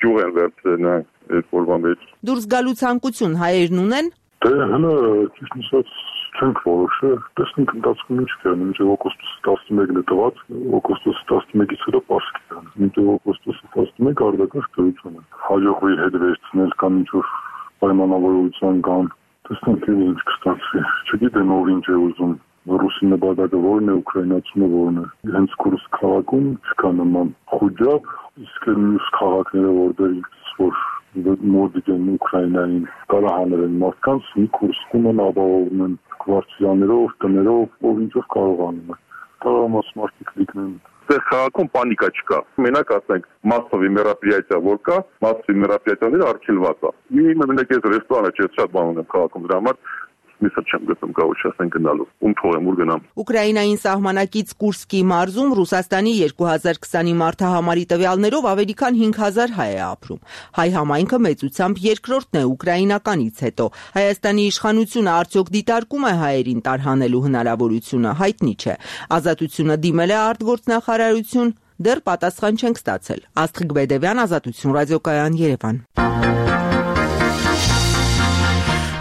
գյուղ են վերցրել այդ օրվա մեջ։ Դուրս գալու ցանկություն հայերն ունեն։ Դե հələ ճիշտ ասած չենք որոշել, տեսնենք ընթացքում ինչ կան, մինչև օգոստոսի տասնմեկն է տված, օգոստոսի տասնմեկից հետո պարսկ կան, մինչև օգոստոսի տասնմեկը արտակարգ դրություն է։ Հաջողվի հետ վերցնել կամ ինչ-որ պայմանավորություն կան, տեսնենք ինչ կստացվի։ Չգիտեմ ով ինչ է ուզում, ռուսի նպատակը որն է, ուկրաինացունը որն է։ Հենց Կուրսկ քաղաքում չկա նման խոջապ, իսկ մյուս քաղաքները որտեղից որ մոդիկ են Ուկրաինային տարահանել են մարդկանց, մի Կուրսկում են ապահովում են կվարտիրաներով, տներով, ով ինչով կարողանում է։ Տարամաս մարդիկ լիքնեն։ Այստեղ քաղաքում պանիկա չկա։ Մենակ ասենք մասսովի մերապրիятия որ կա, մասսովի մերապրիятияները արգելված է։ Իմенно մենակ այս ռեստորանը չէ, շատ բան ունեմ քաղաքում դրա համար, միսը չեմ գտնում կարող չասեն գնալու։ Ում թողեմ ուր գնամ։ Ուկրաինային սահմանակից Կուրսկի մարզում Ռուսաստանի երկու հազար քսանի մարտահամարի տվյալներով ավելի քան հինգ հազար հայ է ապրում։ Հայ համայնքը մեծությամբ երկրորդն է ուկրաինականից հետո։ Հայաստանի իշխանությունը արդյոք դիտարկում է հայերին տարհանելու հնարավորությունը, հայտնի չէ։ Ազատությունը դիմել է արտգործնախարարություն, դեռ պատասխան չենք ստացել։ Աստղիկ Բեդևյան, Ազատություն ռադիոկայան, Երևան։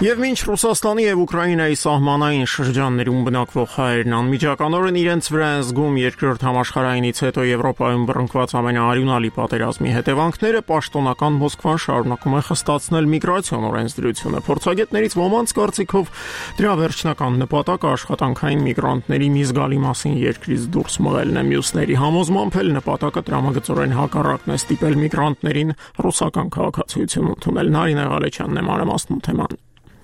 Եվ մինչ Ռուսաստանի եւ Ուկրաինայի սահմանային շրջաններում բնակվող հայերն անմիջականորեն իրենց վրա են զգում երկրորդ համաշխարհայինից հետո Եվրոպայում բռնկված ամենաարյունալի պատերազմի հետևանքները, պաշտոնական Մոսկվան շարունակում է խստացնել միգրացիոն օրենսդրությունը։ Փորձագետներից ոմանց կարծիքով դրա վերջնական նպատակը աշխատանքային միգրանտների մի զգալի մասին երկրից դուրս մղելն է։ Մյուսների համոզմամբ էլ նպատակը տրամագծորեն հակառակն է ստիպել միգրանտներին ռուսական քաղաքացիություն ընդունել։ Նարինե Ղալեչյանն է մանրամասնում թեման։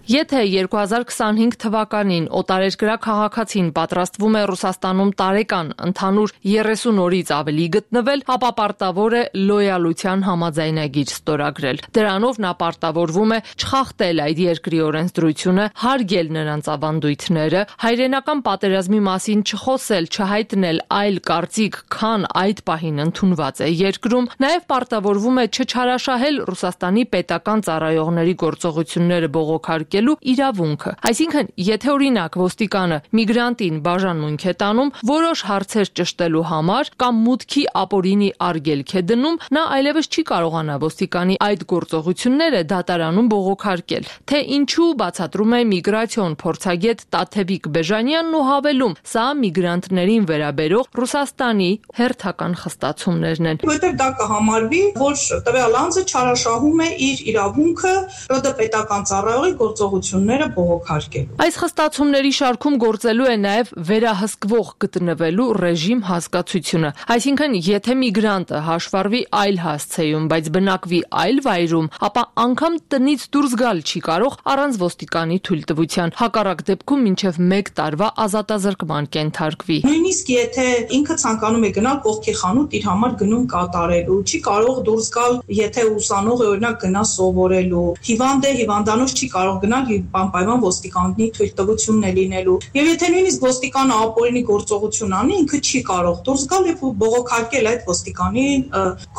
Եթե երկու հազար քսանհինգ թվականին օտարերկրյա քաղաքացին պատրաստվում է Ռուսաստանում տարեկան ընդհանուր երեսուն օրից ավելի գտնվել, ապա պարտավոր է լոյալության համաձայնագիր ստորագրել։ Դրանով նա պարտավորվում է չխախտել այդ երկրի օրենսդրությունը, հարգել նրանց ավանդույթները, հայրենական պատերազմի մասին չխոսել, չհայտնել այլ կարծիք, քան այդ պահին ընդունված է երկրում, նաև պարտավորվում է չչարաշահել Ռուսաստանի պետական ծառայողների գործողությունները բողոքարկել իրավունքը։ Այսինքն, եթե օրինակ ոստիկանը միգրանտին բաժանմունք է տանում որոշ հարցեր ճշտելու համար կամ մուտքի ապօրինի արգելք է դնում, նա այլևս չի կարողանա ոստիկանի այդ գործողությունները դատարանում բողոքարկել։ Թե ինչու բացատրում է միգրացիոն փորձագետ Տաթևիկ Բեժանյանն ու հավելում, սա միգրանտներին վերաբերող Ռուսաստանի հերթական խստացումներն են։ Որտեղ դա կհամարվի, որ տվյալ անձը չարաշահում է իր իրավունքը ՌԴ պետական ծառայողի գործողությունները բողոքարկելու։ Այս խստացումների շարքում գործելու է նաև վերահսկվող գտնվելու ռեժիմ հասկացությունը։ Այսինքն, եթե միգրանտը հաշվառվի այլ հասցեում, բայց բնակվի այլ վայրում, ապա անգամ տնից դուրս գալ չի կարող առանց ոստիկանի թույլտվության։ Հակառակ դեպքում մինչև մեկ տարվա ազատազրկման կենթարկվի։ Նույնիսկ եթե ինքը ցանկանում է գնալ կողքի խանութ իր համար գնում կատարելու, չի կարող դուրս գալ, եթե ուսանող է օրինակ գնա սովորելու, հիվանդ է, հիվանդանոց չի կարող գնալ անպայման ոստիկանի թույլտվությունն է լինելու։ Եվ եթե նույնիսկ ոստիկանը ապօրինի գործողություն անի, ինքը չի կարող դուրս գալ եւ բողոքարկել այդ ոստիկանի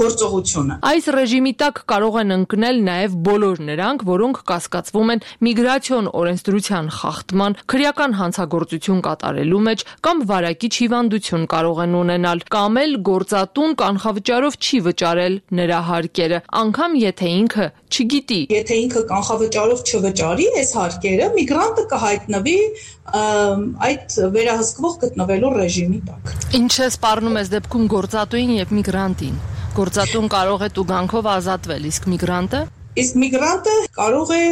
գործողությունը։ Այս ռեժիմի տակ կարող են ընկնել նաև բոլոր նրանք, որոնք կասկածվում են միգրացիոն օրենսդրության խախտման, քրեական հանցագործություն կատարելու մեջ կամ վարակիչ հիվանդություն կարող են ունենալ, կամ էլ գործատուն կանխավճարով չի վճարել նրա հարկերը, անգամ եթե ինքը չգիտի։ Եթե ինքը կանխավճարով չվճարի այս հարկերը, միգրանտը կհայտնվի այդ վերահսկվող գտնվելու ռեժիմի տակ։ Ինչ է սպառնում այս դեպքում գործատուին եւ միգրանտին։ Գործատուն կարող է տուգանքով ազատվել, իսկ միգրանտը Իսկ միգրանտը կարող է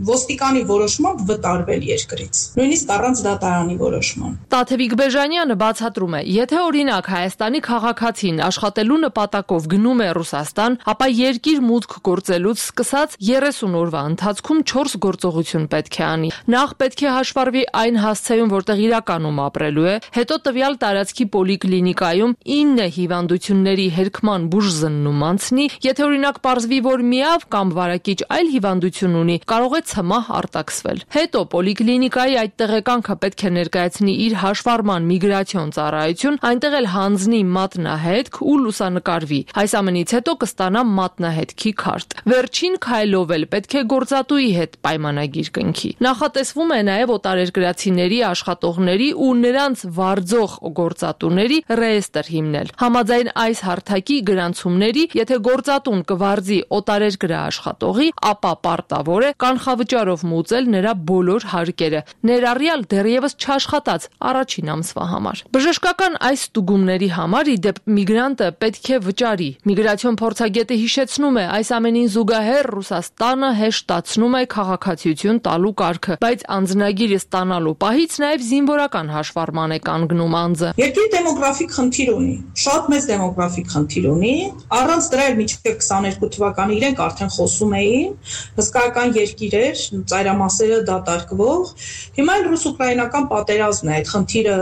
ոստիկանի որոշմամբ վտարվել երկրից, նույնիսկ առանց դատարանի որոշման։ Տաթևիկ Բեժանյանը բացատրում է, եթե օրինակ Հայաստանի քաղաքացին աշխատելու նպատակով գնում է Ռուսաստան, ապա երկիր մուտք գործելուց սկսած երեսուն օրվա ընթացքում չորս գործողություն պետք է անի։ Նախ պետք է հաշվառվի այն հասցեում, որտեղ իրականում ապրելու է, հետո տվյալ տարածքի պոլիկլինիկայում ինը հիվանդությունների հերկման բուժզննում անցնի, եթե օրինակ պարզվի, որ միավ կամ վարակիչ այլ հիվանդություն ունի, կարող է ցմահ արտաքսվել։ Հետո պոլիկլինիկայի այդ տեղեկանքը պետք է ներկայացնի իր հաշվառման միգրացիոն ծառայություն, այնտեղ էլ հանձնի մատնահետք ու լուսանկարվի։ Այս ամենից հետո կստանա մատնահետքի քարտ։ Վերջին քայլով էլ պետք է գործատուի հետ պայմանագիր կնքի։ Նախատեսվում է նաև օտարերկրացիների աշխատողների ու նրանց վարձող գործատուների ռեեստր հիմնել։ Համաձայն այս հարթակի գրանցումների, եթե գործատուն կվարձի օտարերկրյա աշխատողի, ապա պարտավոր է կանխավճարով մուծել նրա բոլոր հարկերը, ներառյալ դեռևս չաշխատած առաջին ամսվա համար։ Բժշկական այս ստուգումների համար ի դեպ միգրանտը պետք է վճարի։ Միգրացիոն փորձագետը հիշեցնում է, այս ամենին զուգահեռ Ռուսաստանը հեշտացնում է քաղաքացիություն տալու կարգը, բայց անձնագիրը ստանալու պահից նաև զինվորական հաշվառման է կանգնում անձը։ Երկրի դեմոգրաֆիկ խնդիր ունի, շատ մեծ դեմոգրաֆիկ խնդիր ունի, առանց դրա էլ մինչև քսաներկու թվականը իրենք արդեն խոսում էին, հսկայական երկիր էր, ծայրամասերը դատարկվող։ Հիմա էլ ռուս-ուկրաինական պատերազմն է այդ խնդիրը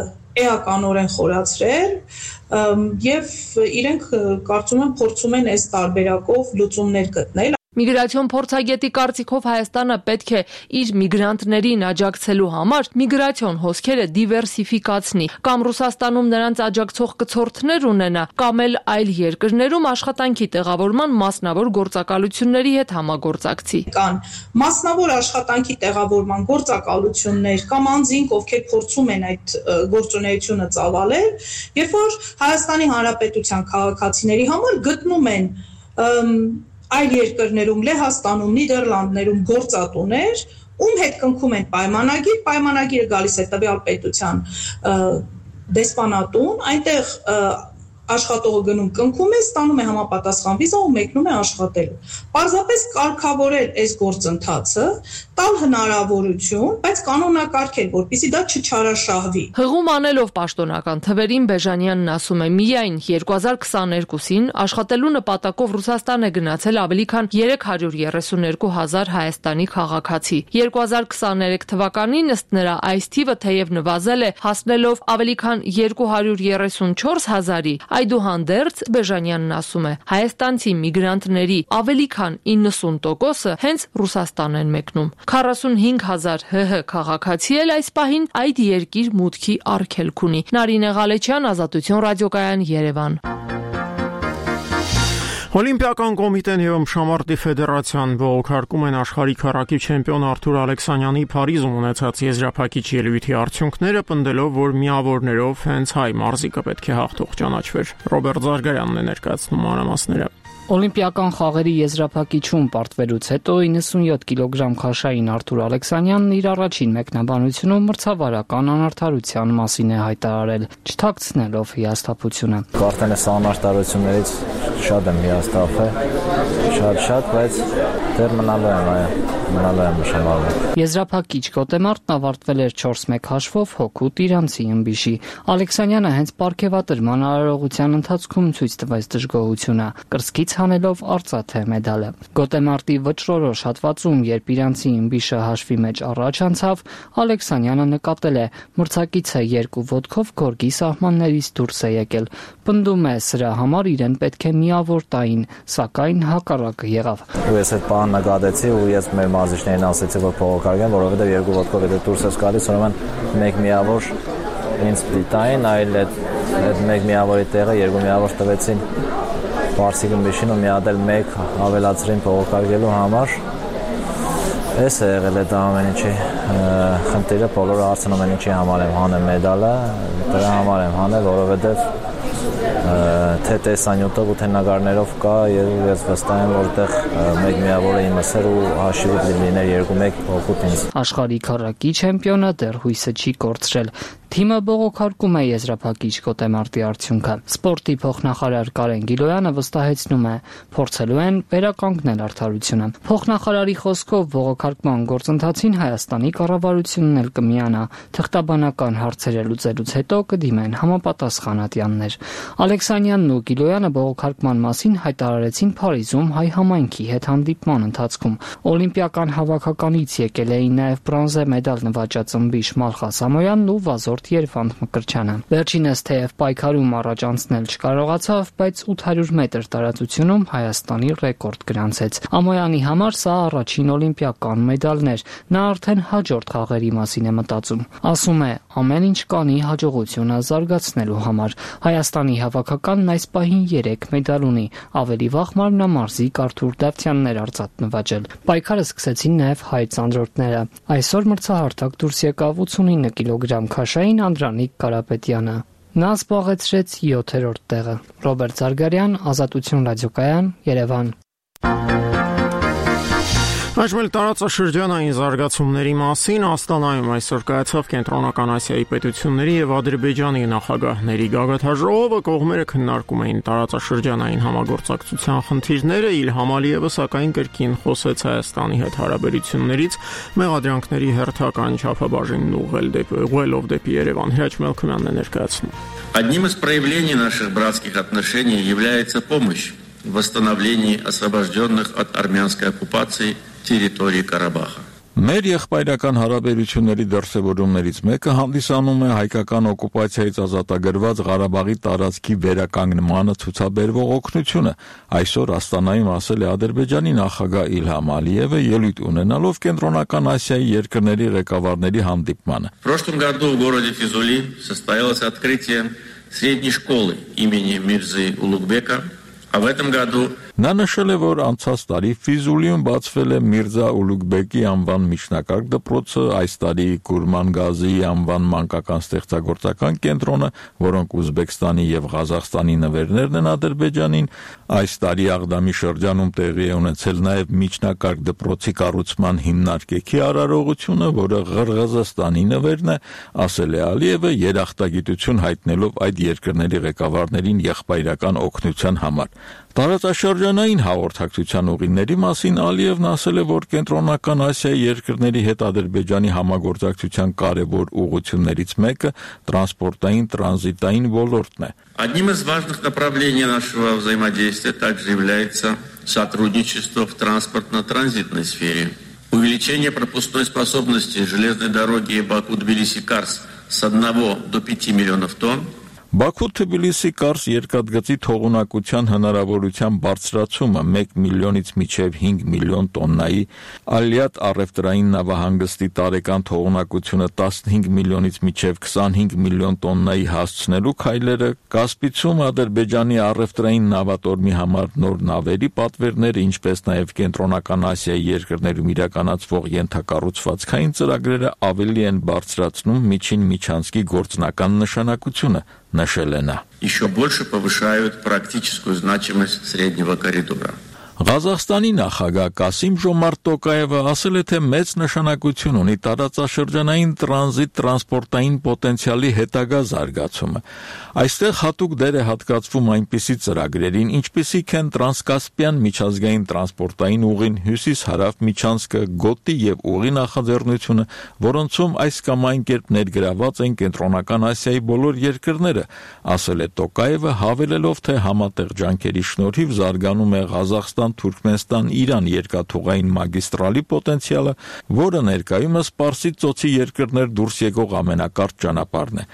էականորեն խորացրել եւ իրենք կարծում եմ փորձում են այս տարբերակով լուծումներ գտնել։ Միգրացիոն փորձագետի կարծիքով Հայաստանը պետք է իր միգրանտներին աջակցելու համար միգրացիոն հոսքերը դիվերսիֆիկացնի, կամ Ռուսաստանում նրանց աջակցող կցորդներ ունենա, կամ էլ այլ երկրներում աշխատանքի տեղավորման մասնավոր գործակալությունների հետ համագործակցի։ Կան մասնավոր աշխատանքի տեղավորման գործակալություններ կամ անձինք, ովքեր փորձում են այդ գործունեությունը ծավալել, երբ որ Հայաստանի Հանրապետության քաղաքացիների համար գտնում են այլ երկրներում, Լեհաստանում, Նիդերլանդներում գործատուներ, ում հետ կնքում են պայմանագիր, պայմանագիրը գալիս է տվյալ պետության դեսպանատուն, այնտեղ աշխատողը գնում կնքում է, ստանում է համապատասխան վիզա ու մեկնում է աշխատելու։ Պարզապես կարգավորել այս գործընթացը, տալ հնարավորություն, բայց կանոնակարգել, որպեսզի դա չչարաշահվի։ Հղում անելով պաշտոնական թվերին Բեժանյանն ասում է, միայն երկու հազար քսաներկուսին աշխատելու նպատակով Ռուսաստան է գնացել ավելի քան երեք հարյուր երեսուն երկու հազար Հայաստանի քաղաքացի։ երկու հազար քսաներեք թվականին ըստ նրա այս թիվը թեև նվազել է, հասնելով ավելի քան երկու հարյուր երեսուն չորս հազարի, այդուհանդերձ Բեժանյանն ասում է, հայաստանցի միգրանտների ավելի քան իննսուն տոկոսը հենց Ռուսաստան են մեկնում։ քառասունհինգ հազար ՀՀ քաղաքացի էլ այս պահին այդ երկիր մուտքի արգելք ունի։ Նարինե Ղալեչյան, Ազատություն ռադիոկայան, Երևան։ Օլիմպիական կոմիտեն եւ Ըմբշամարտի ֆեդերացիան բողոքարկում են աշխարհի քառակի չեմպիոն Արթուր Ալեքսանյանի Փարիզում ունեցած եզրափակիչ ելույթի արդյունքները, պնդելով, որ միավորներով հենց հայ մարզիկը պետք է հաղթող ճանաչվեր։ Ռոբերտ Զարգարյանն է ներկայացնում մանրամասները։ Օլիմպիական խաղերի եզրափակիչում պարտվելուց հետո իննսունյոթ կիլոգրամ քաշային Արթուր Ալեքսանյանն իր առաջին մեկնաբանությունում մրցավարական անարդարության մասին է հայտարարել, չթաքցնելով հիասթափությունը։ Կարծես անարդարություններից շատ եմ հիասթափել, շատ-շատ, բայց դեռ մնալու եմ, այո, մնալու եմ նշանալու։ Եզրափակիչ գոտեմարտն ավարտվել էր չորս մեկ հաշվով հօգուտ իրանցի ըմբիշի։ Ալեքսանյանը հենց պարգևատրման արարողության ընթացքում ցույց տվեց դժգոհությունը, կրծքից հանելով արծաթե մեդալը։ Գոտեմարտի վճռորոշ հատվածում, երբ իրանցի ըմբիշը հաշվի մեջ առաջ անցավ, Ալեքսանյանը նկատել է, մրցակիցը երկու ոտքով գորգի սահմաններից դուրս է եկել։ Պնդում է, սրա համար իրեն պետք է միավոր տային, սակայն հակառակը եղավ։ Ու ես այդ բանը նկատեցի ու ես մեր մարզիչներին ասեցի, որ փողոքարկեն, որովհետև երկու ոտքով եթե դուրս ես գալիս, ուրեմն մեկ միավոր ինձ պիտային, այլ այդ այդ մեկ միավորի տեղը երկու միավոր տվեցին Պարսիկ ըմբիշին ու մի հատ էլ մեկ ավելացրին փողոքարկելու համար։ Էս է եղել այդ ամեն ինչի խնդիրը, բոլորը հարցնում են ինչի համար եմ հանել մեդալը, դրա համար եմ հանել, որովհետև թե տեսանյութով ու թե նկարներով կա եւ ես վստահ եմ, որ այդտեղ մեկ միավորը իմս էր ու հաշիվը լիներ երկու մեկ օգուտ ինձ։ Աշխարհի քառակի չեմպիոնը դեռ հույսը չի կորցրել։ Թիմը բողոքարկում է եզրափակիչ գոտեմարտի արդյունքը։ Սպորտի փոխնախարար Կարեն Գիլոյանը վստահեցնում է, փորձելու են վերականգնել արդարությունը։ Փոխնախարարի խոսքով բողոքարկման գործընթացին Հայաստանի կառավարությունն էլ կմիանա, թղթաբանական հարցերը լուծելուց հետո կդիմեն համապատասխան ատյաններ։ Ալեքսանյանն ու Գիլոյանը բողոքարկման մասին հայտարարեցին Փարիզում հայ համայնքի հետ հանդիպման ընթացքում։ Օլիմպիական հավաքականից եկել էին նաև բրոնզե մեդալ նվաճած ըմբիշ Մալխա Սամոյանն ու Վազորդ Երվանդ Մկրտչյանը։ Վերջինս թեև պայքարում առաջ անցնել չկարողացավ, բայց ութ հարյուր մետր տարածությունում Հայաստանի ռեկորդ գրանցեց։ Ամոյանի համար սա առաջին օլիմպիական մեդալն էր։ Նա արդեն հաջորդ խաղերի մասին է մտածում։ Ասում է, ամեն ինչ կանի հաջողությունը զարգացնելու համար։ Հայաստանի հավաքականն այս պահին երեք մեդալ ունի, ավելի վաղ մարմնամարզիկ Արթուր Դավթյանն էր արծաթ նվաճել։ Պայքարը սկսեցին նաև հայ ծանրորդները։ Այսօր մրցահարթակ դուրս եկավ ութսունինը կիլոգրամ քաշային Անդրանիկ Կարապետյանը։ Նա զբաղեցրեց յոթերորդ տեղը։ Ռոբերտ Զարգարյան, Ազատություն ռադիոկայան, Երևան։ Այժմ տարածաշրջանային զարգացումների մասին Աստանայում այսօր կայացավ Կենտրոնական Ասիայի պետությունների եւ Ադրբեջանի նախագահների գագաթաժողովը, կողմերը քննարկում էին տարածաշրջանային համագործակցության խնդիրները, Իլհամ Ալիևը սակայն կրկին խոսեց Հայաստանի հետ հարաբերություններից մեղադրանքների հերթական չափաբաժինն ուղղել դեպի ուղղելով դեպի Երևան։ Հրաչ Մելքումյանն է ներկայացնում։ Одним из проявлений наших братских отношений является помощь в восстановлении освобожденных от армянской оккупации территории Карабаха. Մեր եղբայրական հարաբերությունների դրսևորումներից մեկը հանդիսանում է հայկական օկուպացիայից ազատագրված Ղարաբաղի տարածքի վերականգնմանը ցուցաբերվող օգնությունը, այսօր Աստանայում ասել է Ադրբեջանի նախագահ Իլհամ Ալիևը ելույթ ունենալով Կենտրոնական Ասիայի երկրների ղեկավարների հանդիպմանը։ В прошлом году в городе Физули состоялось открытие средней школы имени Мирзы Улугбека, а в этом году Նա նշել է, որ անցած տարի Ֆիզուլիում բացվել է Միրզա Ուլուգբեկի անվան միջնակարգ դպրոցը, այս տարի Կուրման Գազիի անվան մանկական ստեղծագործական կենտրոնը, որոնք Ուզբեկստանի եւ Ղազախստանի նվերներն են Ադրբեջանին, այս տարի Աղդամի շրջանում տեղի է ունեցել նաեւ միջնակարգ դպրոցի կառուցման հիմնարկեքի արարողությունը, որը Ղրղզստանի նվերն է, ասել է Ալիևը երախտագիտություն հայտնելով այդ երկրների ղեկավարներին եղբայրական օգնության համար։ Տարածաշրջանային հաղորդակցության ուղիների մասին Ալիևն ասել է, որ Կենտրոնական Ասիայի երկրների հետ Ադրբեջանի համագործակցության կարևոր ուղղություններից մեկը տրանսպորտային տրանզիտային ոլորտն է։ Одним из важных направлений нашего взаимодействия также является сотрудничество в транспортно-транзитной сфере. Увеличение пропускной способности железной дороги Баку-Тбилиси-Карс с одного до пяти миллионов тонн. Բաքու-Թբիլիսի Կարս երկաթգծի թողունակության հնարավորության բարձրացումը մեկ միլիոնից մինչև հինգ միլիոն տոննայի, Ալիատ առևտրային նավահանգստի տարեկան թողունակությունը տասնհինգ միլիոնից մինչև քսանհինգ միլիոն տոննայի հասցնելու քայլերը, Կասպիցում Ադրբեջանի առևտրային նավատորմի համար նոր նավերի պատվերները, ինչպես նաև Կենտրոնական Ասիայի երկրներում իրականացվող ենթակառուցվածքային ծրագրերը ավելի են բարձրացնում միջին միջանցքի գործնական նշանակությունը։ Еще больше повышают практическую значимость среднего коридора. Ղազախստանի նախագահ Կասիմ Ժոմարտ Տոկաևը ասել է, թե մեծ նշանակություն ունի տարածաշրջանային տրանզիտ տրանսպորտային պոտենցիալի հետագա զարգացումը։ Այստեղ հատուկ դեր է հատկացվում այնպիսի ծրագրերին, ինչպիսիք են տրանսկասպյան միջազգային տրանսպորտային ուղին, հյուսիս-հարավ միջանցքը, գոտի եւ ուղի նախաձեռնությունը, որոնցում այս կամ այն կերպ ներգրաված են Կենտրոնական Ասիայի բոլոր երկրները, ասել է Տոկաևը, հավելելով, թե համատեղ ջանքերի շնորհիվ զարգանում է Ղազախստան Թուրքմենստան-Իրան երկաթուղային մագիստրալի պոտենցիալը, որը ներկայումս Պարսից ծոցի երկրներ դուրս եկող ամենակարճ ճանապարհն է։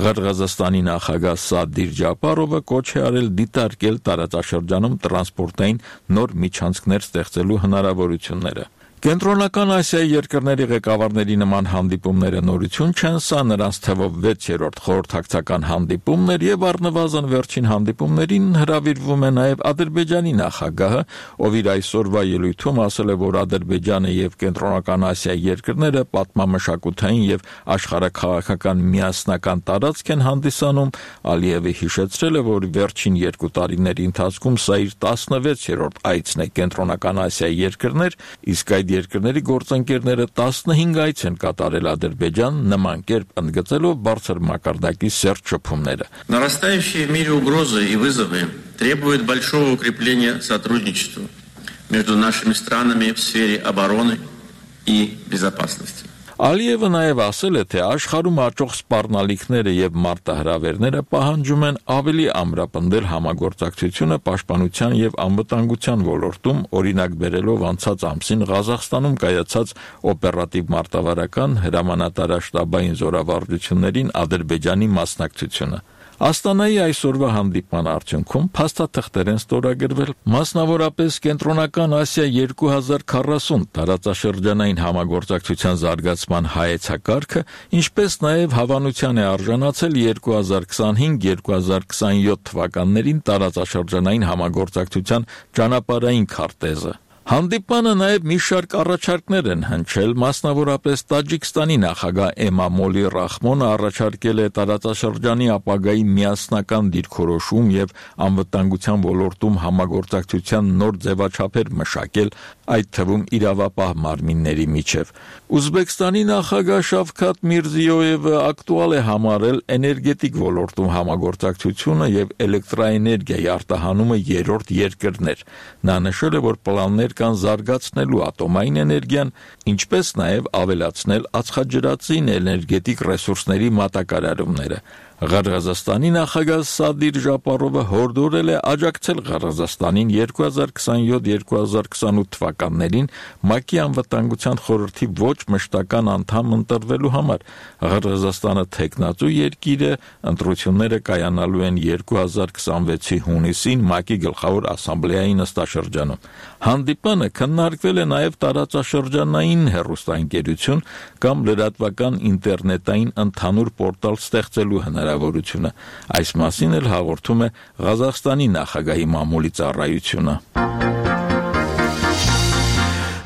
Ղրղզստանի նախագահ Սադիր Ջապարովը կոչ է արել դիտարկել տարածաշրջանում տրանսպորտային նոր միջանցքներ ստեղծելու հնարավորությունները։ Կենտրոնական Ասիայի երկրների ղեկավարների նման հանդիպումները նորություն չեն, սա նրանց թվով վեցերորդ խորհրդակցական հանդիպումն էր եւ առնվազն վերջին հանդիպումներին հրավիրվում է նաեւ Ադրբեջանի նախագահը, ով իր այսօրվա ելույթում ասել է, որ Ադրբեջանը եւ Կենտրոնական Ասիայի երկրները պատմամշակութային եւ աշխարհաքաղաքական միասնական տարածք են հանդիսանում։ Ալիևը հիշեցրել է, որ վերջին երկու տարիների ընթացքում սա իր տասնվեցերորդ այցն է Կենտրոնական Ասիայի երկրներ, իսկ այդ երկրների գործընկերները տասնհինգ այց են կատարել Ադրբեջան, նման կերպ ընդգծելով բարձր մակարդակի սերտ շփումները։ Нарастающие в мире угрозы и вызовы требуют большого укрепления сотрудничества между нашими странами в сфере обороны и безопасности. Ալիևը նաև ասել է, թե աշխարհում աճող սպառնալիքները եւ մարտահրավերները պահանջում են ավելի ամրապնդել համագործակցությունը պաշտպանության եւ անվտանգության ոլորտում, օրինակ բերելով անցած ամսին Ղազախստանում կայացած օպերատիվ մարտավարական հրամանատարաշտաբային զորավարժություններին Ադրբեջանի մասնակցությունը։ Աստանայի այսօրվա հանդիպման արդյունքում փաստաթղթեր են ստորագրվել, մասնավորապես Կենտրոնական Ասիա երկու հազար քառասուն տարածաշրջանային համագործակցության զարգացման հայեցակարգը, ինչպես նաև հավանության է արժանացել երկու հազար քսանհինգ երկու հազար քսանյոթ թվականներին տարածաշրջանային համագործակցության ճանապարհային քարտեզը։ Հանդիպանը նաև մի շարք առաջարկներ են հնչել, մասնավորապես Տաջիկստանի նախագահ Էմամոլի Ռախմոնը առաջարկել է տարածաշրջանի ապագայի միասնական դիրքորոշում եւ անվտանգության ոլորտում համագործակցության նոր ձևաչափեր մշակել, այդ թվում իրավապահ մարմինների միջև։ Ուզբեկստանի նախագահ Շավքաթ Միրզիոևը ակտուալ է համարել էներգետիկ ոլորտում համագործակցությունը եւ էլեկտրաէներգիայի արտահանումը երրորդ երկրներ։ Նա նշել է, որ պլաններ կան զարգացնելու ատոմային էներգիան, ինչպես նաև ավելացնել ածխաջրածին էներգետիկ ռեսուրսների մատակարարումները։ Ղարազստանի նախագահ Սադիր Ժապարովը հորդորել է աջակցել Ղարազստանին երկու հազար քսաներորդ երկու հազար քսանութ թվականներին ՄԱԿ-ի անվտանգության խորհրդի ոչ մշտական անդամ ընտրվելու համար։ Ղարազստանը թեկնածու երկիր է, ընտրությունները կայանալու են երկու հազար քսանվեցի հունիսին ՄԱԿ-ի գլխավոր ասամբլեայի նստաշրջանում։ Հանդիպանը քննարկվել է նաև տարածաշրջանային հեռուստաընկերություն կամ լրատվական ինտերնետային ընդհանուր պորտալ ստեղծելու հնարավորությունը։ Այս մասին էլ հաղորդում է Ղազախստանի նախագահի մամուլի ծառայությունը։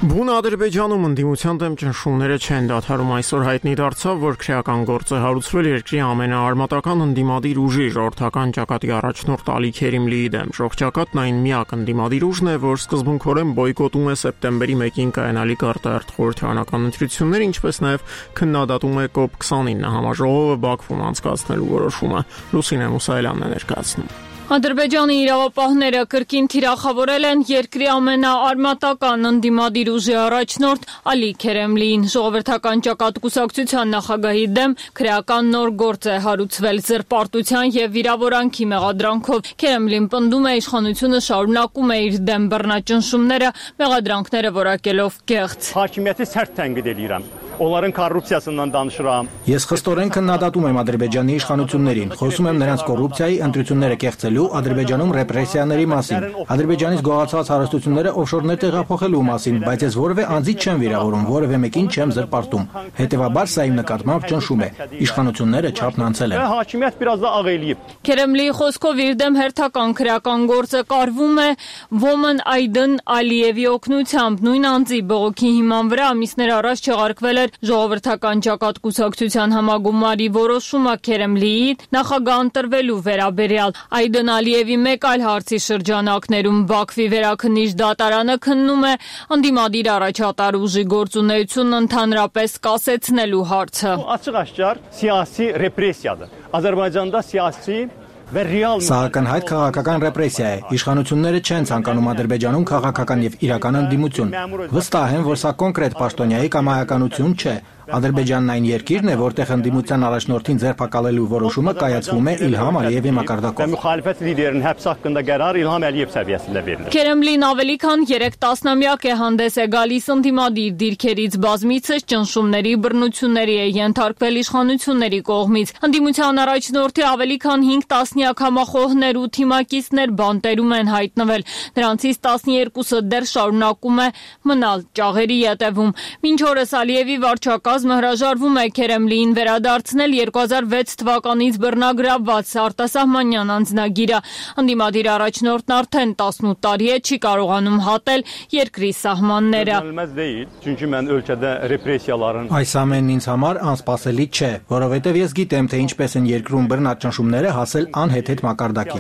Բուն Ադրբեջանում ընդդիմության դեմ ճնշումները չեն դադարում։ Այսօր հայտնի դարձավ, որ քրեական գործ է հարուցվել երկրի ամենաարմատական ընդդիմադիր ուժի ժողովրդական ճակատի առաջնորդ Ալի Քերիմլիի դեմ։ Ժողովրդակատն այն միակ ընդդիմադիր ուժն է, որ սկզբունքորեն բոյկոտում է սեպտեմբերի մեկին կայանալիք արտահերթ խորհրդարանական ընտրությունները, ինչպես նաև քննադատում է կոպ քսանինը համաժողովը Բաքվում անցկացնելու որոշումը։ Լուսինե Մուսայելյանն է ներկայացնում։ Ադրբեջանի իրավապահները կրկին թիրախավորել են երկրի ամենաարմատական ընդդիմադիր ուժի առաջնորդ Ալի Քերեմլիին։ Ժողովրդական ճակատ կուսակցության նախագահի դեմ քրեական նոր գործ է հարուցվել զրպարտության եւ վիրավորանքի մեղադրանքով։ Քերեմլին պնդում է իշխանությունը շարունակում է իր դեմ բռնաճնշումները, մեղադրանքները որակելով կեղծ։ Hakimiyyəti sərt tənqid edirəm. Onların korrupsiyasından danışıram. Ես խստորեն քննադատում եմ Ադրբեջանի իշխանություններին, խոսում եմ նրանց կոռուպցիայի, ընտրությունները կեղծելու, Ադրբեջանում ռեպրեսիաների մասին, Ադրբեջանից գողացած հարստությունները օֆշորներ տեղափոխելու մասին, բայց ես որևէ անձի չեմ վիրավորում, որևէ մեկին չեմ զրպարտում։ Հետևաբար սա իմ նկատմամբ ճնշում է։ Իշխանությունները չափն անցել են։ Hakimiyyət biraz da ağ eləyib. Քերեմլիի խոսքով իր դեմ հերթական քրեական գործը կարվում է Ոմն Այդն Ալիևի օգնությամբ։ Նույն անձի բողոքի հիման վրա ամիսներ առաջ չեղարկվել Ժողովրդական ճակատ կուսակցության համագումարի որոշումը Քերեմլիի նախագահ ընտրվելու վերաբերյալ։ Այդն Ալիևի մեկ այլ հարցի շրջանակներում Բաքվի վերաքննիչ դատարանը քննում է ընդդիմադիր առաջատար ուժի գործունեությունն ընդհանրապես կասեցնելու հարցը։ Açıq-aşkar siyasi repressiyadır. Azərbaycanda siyasi Սա ակնհայտ քաղաքական ռեպրեսիա է։ Իշխանությունները չեն ցանկանում Ադրբեջանում քաղաքական եւ իրական ընդդիմություն։ Վստահ եմ, որ սա կոնկրետ պաշտոնյայի կամայականություն չէ։ Ադրբեջանն այն երկիրն է, որտեղ ընդդիմության առաջնորդին ձերբակալելու որոշումը կայացվում է Իլհամ Ալիևի մակարդակով։ Müxalifət liderinin həbs haqqında qərar İlham Əliyev səviyyəsində verilir։ Քերեմլին ավելի քան երեք տասնամյակ է հանդես է գալիս ընդդիմադիր դիրքերից բազմիցս ճնշումների, բռնությունների է ենթարկվել իշխանությունների կողմից։ Ընդդիմության առաջնորդի ավելի քան հինգ տասնյակ համախոհներ ու թիմակիցներ բանտերում են հայտնվել։ Նրանցից տասներկուսը դեռ շարունակում է մնալ ճաղերի ետևում։ Մինչ օրս Ալիևի վարչակազմը հրաժարվում է Քերեմլիին վերադարձնել երկու հազար վեց թվականից բռնագրավված արտասահմանյան անձնագիրը։ Ընդդիմադիր առաջնորդն արդեն տասնութ տարի է չի կարողանում հատել երկրի սահմանները։ Այս ամենն ինձ համար անսպասելի չէ, որովհետև ես գիտեմ, թե ինչպես են երկրում բռնաճնշումները հասել անհեթեթ մակարդակի։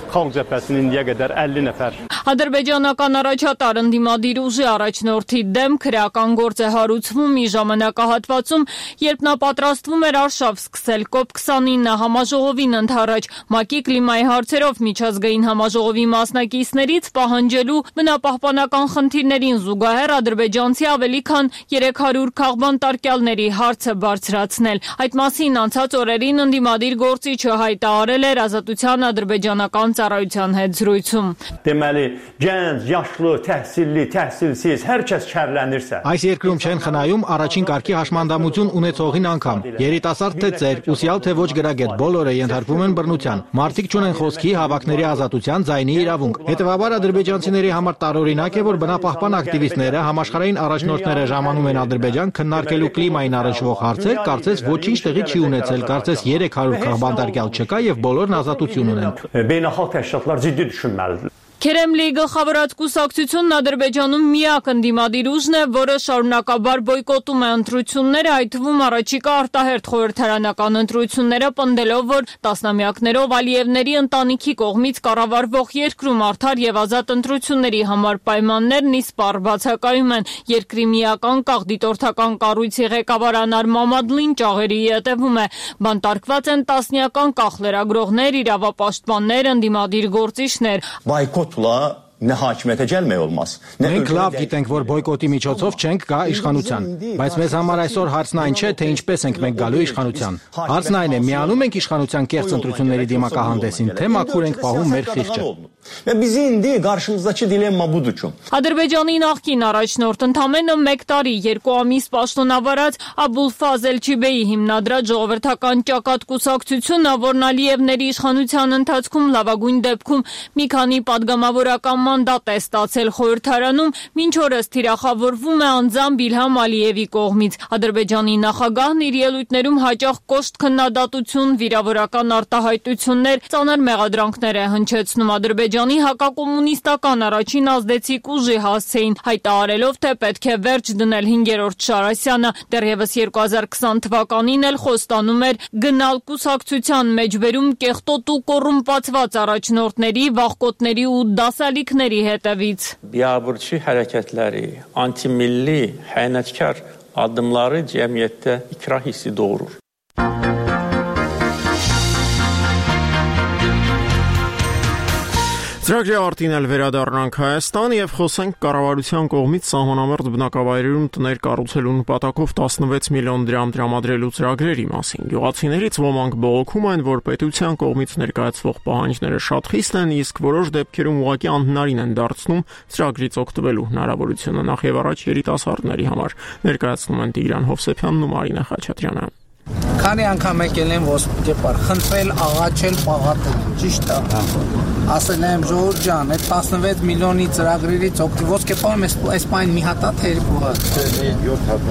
Ադրբեջանական առաջատար ընդդիմադիր ուժի առաջնորդի դեմ քրեական գործ է հարուցվում մի ժամանակահատվածում, երբ նա պատրաստվում էր արշավ սկսել կոպ քսանինը համաժողովին ընդառաջ ՄԱԿ-ի կլիմայի հարցերով միջազգային համաժողովի մասնակիցներից պահանջելու բնապահպանական խնդիրներին զուգահեռ ադրբեջանցի ավելի քան երեք հարյուր քաղբանտարկյալների հարցը բարձրացնել։ Այդ մասին անցած օրերին ընդդիմադիր գործիչը հայտարարել էր Ազատության ադրբեջանական ծառայության հետ զրույցում։ Deməli, gənc, yaşlı, təhsilli, təhsilsiz hər kəs şərlənirsə. Այս երկրում չեն խնայում առաջին կարգի հաշմանդամություն ունեցողին անգամ։ Երիտասարդ թե ծեր, ուսյալ թե ոչ գրագետ, բոլորը ենթարկվում են բռնության։ Մարդիկ չունեն խոսքի, հավաքների ազատության, ձայնի իրավունք։ Հետևաբար ադրբեջանցիների համար տարօրինակ է, որ բնապահպան ակտիվիստները, համաշխարհային առաջնորդները ժամանում են Ադրբեջան քննարկելու կլիմային առնչվող հարցեր, կարծես ոչինչ տեղի չի ունեցել, կարծես երեք հարյուր քաղբանտարկյալ չկա եւ բոլորն ազատություն ունեն։ Beynəlxalq təşkilatlar ciddi düşünməlidir. Քերեմլիի գլխավորած կուսակցությունն Ադրբեջանում միակ ընդդիմադիր ուժն է, որը շարունակաբար բոյկոտում է ընտրությունները, այդ թվում առաջիկա արտահերթ խորհրդարանական ընտրությունները, պնդելով, որ տասնամյակներով Ալիևների ընտանիքի կողմից կառավարվող երկրում արդար եւ ազատ ընտրությունների համար պայմաններն իսպառ բացակայում են։ Երկրի միական կաղդիտորդական կառույցի ղեկավար Անար Մամադլին ճաղերի ետևում է։ Բանտարկված են տասնյական կախ լրագրողներ, իրավապաշտպաններ, ընդդիմադիր գործիչներ։ Boykotla ne hakimiyete gelmək olmaz. Մենք լավ գիտենք, որ բոյկոտի միջոցով չենք գա իշխանության, բայց մեզ համար այսօր հարցն այն չէ, թե ինչպես ենք մենք գալու իշխանության։ Հարցն այն է, միանում ենք իշխանության կեղծ ընտրությունների դիմակահանդեսին, թե մաքուր ենք պահում մեր խիղճը։ Və bizi indi qarşımızdakı dilemma budur ki. Ադրբեջանի նախկին առաջնորդ ընդամենը մեկ տարի երկու ամիս պաշտոնավարած Աբուլֆազել Չիբեի հիմնադրած ժողովրդական ճակատ կուսակցությունը, որն Ալիևների իշխանության ընթացքում լավագույն դեպքում մի քանի պատգամավորական մանդատ է ստացել խորհրդարանում, մինչ օրս թիրախավորվում է անձամբ Իլհամ Ալիևի կողմից։ Ադրբեջանի նախագահն իր ելույթներում հաճախ կոշտ քննադատություն, վիրավորական արտահայտություններ, ծանր մեղադրանքներ է հնչեցնում Ադրբեջանի հակակոմունիստական առաջին ազդեցիկ ուժի հասցեին, հայտարարելով, թե պետք է վերջ դնել հինգերորդ Շարասյանը, դեռևս երկու հազար քսան թվականին էլ խոստանում էր գնալ կուսակցության մեջբերում կեղտոտ ու կոռումպացված առաջնորդների, վախկոտների ու դասալիքների հետևից։ Biabırçı hərəkətləri, antimilli, xəyanətkar addımları cəmiyyətdə ikrah hissi doğurur. Ծրագրի արտին էլ վերադառնանք Հայաստան եւ խոսենք կառավարության կողմից սահմանամերձ բնակավայրերում տներ կառուցելու նպատակով տասնվեց միլիոն դրամ տրամադրելու ծրագրերի մասին։ Գյուղացիներից ոմանք բողոքում են, որ պետության կողմից ներկայացվող պահանջները շատ խիստ են, իսկ որոշ դեպքերում ուղղակի անհնարին են դարձնում ծրագրից օգտվելու հնարավորությունը նախ եւ առաջ երիտասարդների համար։ Ներկայացնում են Տիգրան Հովսեփյանն ու Մարինա Խաչատրյանը։ Քանի անգամ եկել են ոսպիտի պար, խնդրել, աղաչել, պաղատել, ճիշտ է։ Ասել եմ Ժողովուրդ ջան, այդ տասնվեց միլիոնի ծրագրերից օգտվի ոսկե պարում այս պայն մի հատ է երկու հատ։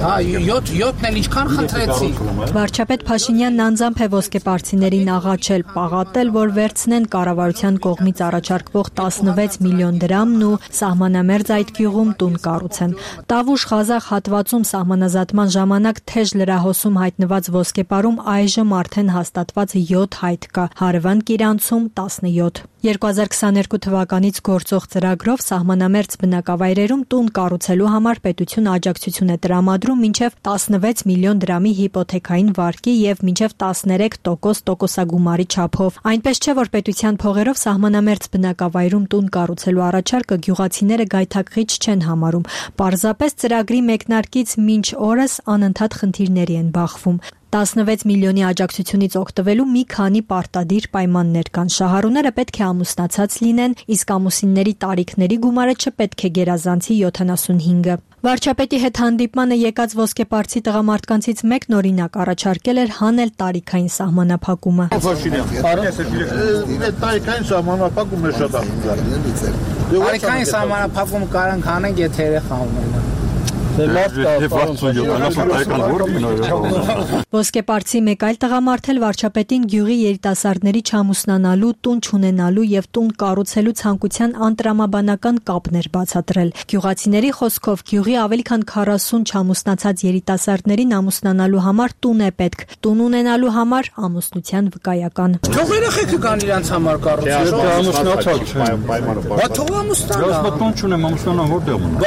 Հա, յոթն էլ ինչքան խնդրեցի։ Վարչապետ Փաշինյանն անձամբ է ոսկեպարցիներին աղաչել, պաղատել, որ վերցնեն կառավարության կողմից առաջարկվող տասնվեց միլիոն դրամն ու սահմանամերձ այդ գյուղում տուն կառուցեն։ Տավուշ-Ղազախ հատվածում սահմանազատման ժամանակ թեժ լրահոսում հայտնված ոսկեպարում այժմ արդեն հաստատված յոթ հայտ կա, Հարևան Կիրանցում տասնյոթ։ երկու հազար քսաներկու թվականից գործող ծրագրով սահմանամերձ բնակավայրերում տուն կառուցելու համար պետությունը աջակցություն է տրամադրում մինչև տասնվեց միլիոն դրամի հիպոթեքային վարկի եւ մինչև տասներեք տոկոս տոկոսագումարի չափով։ Այնպես չէ, որ պետության փողերով սահմանամերձ բնակավայրում տուն կառուցելու առաջարկը գյուղացիները գայթակղիչ չեն համարում։ Պարզապես ծրագրի մեկնարկից մինչ օրս անընդհատ խնդիրների են բախվում։ տասնվեց միլիոնի աջակցությունից օգտվելու մի քանի պարտադիր պայմաններ կան։ Շահառուները պետք է ամուսնացած լինեն, իսկ ամուսինների տարիքների գումարը չպետք է գերազանցի յոթանասունհինգը։ Վարչապետի հետ հանդիպմանը եկած ոսկեպարցի տղամարդկանցից մեկն օրինակ առաջարկել էր հանել տարիքային սահմանափակումը։ Տարիքային սահմանափակումը շատ ախտար։ Տարիքային սահմանափակում կարանք հանենք, եթե երեխա ունենան։ Ոսկեպարցի մեկ այլ տղամարդ էլ վարչապետին գյուղի երիտասարդների չամուսնանալու, տուն չունենալու եւ տուն կառուցելու ցանկության անտրամաբանական կապն էր բացատրել։ Գյուղացիների խոսքով գյուղի ավելի քան քառասուն չամուսնացած երիտասարդներին ամուսնանալու համար տուն է պետք, տուն ունենալու համար ամուսնության վկայական։ Թող երեխեքը կան իրանց համար կառուցել։ Ամուսնացած պայմանը։ Բա թող ամուսնանա։ Ես տուն չունեմ, ամուսնանա որտեղ ունեմ։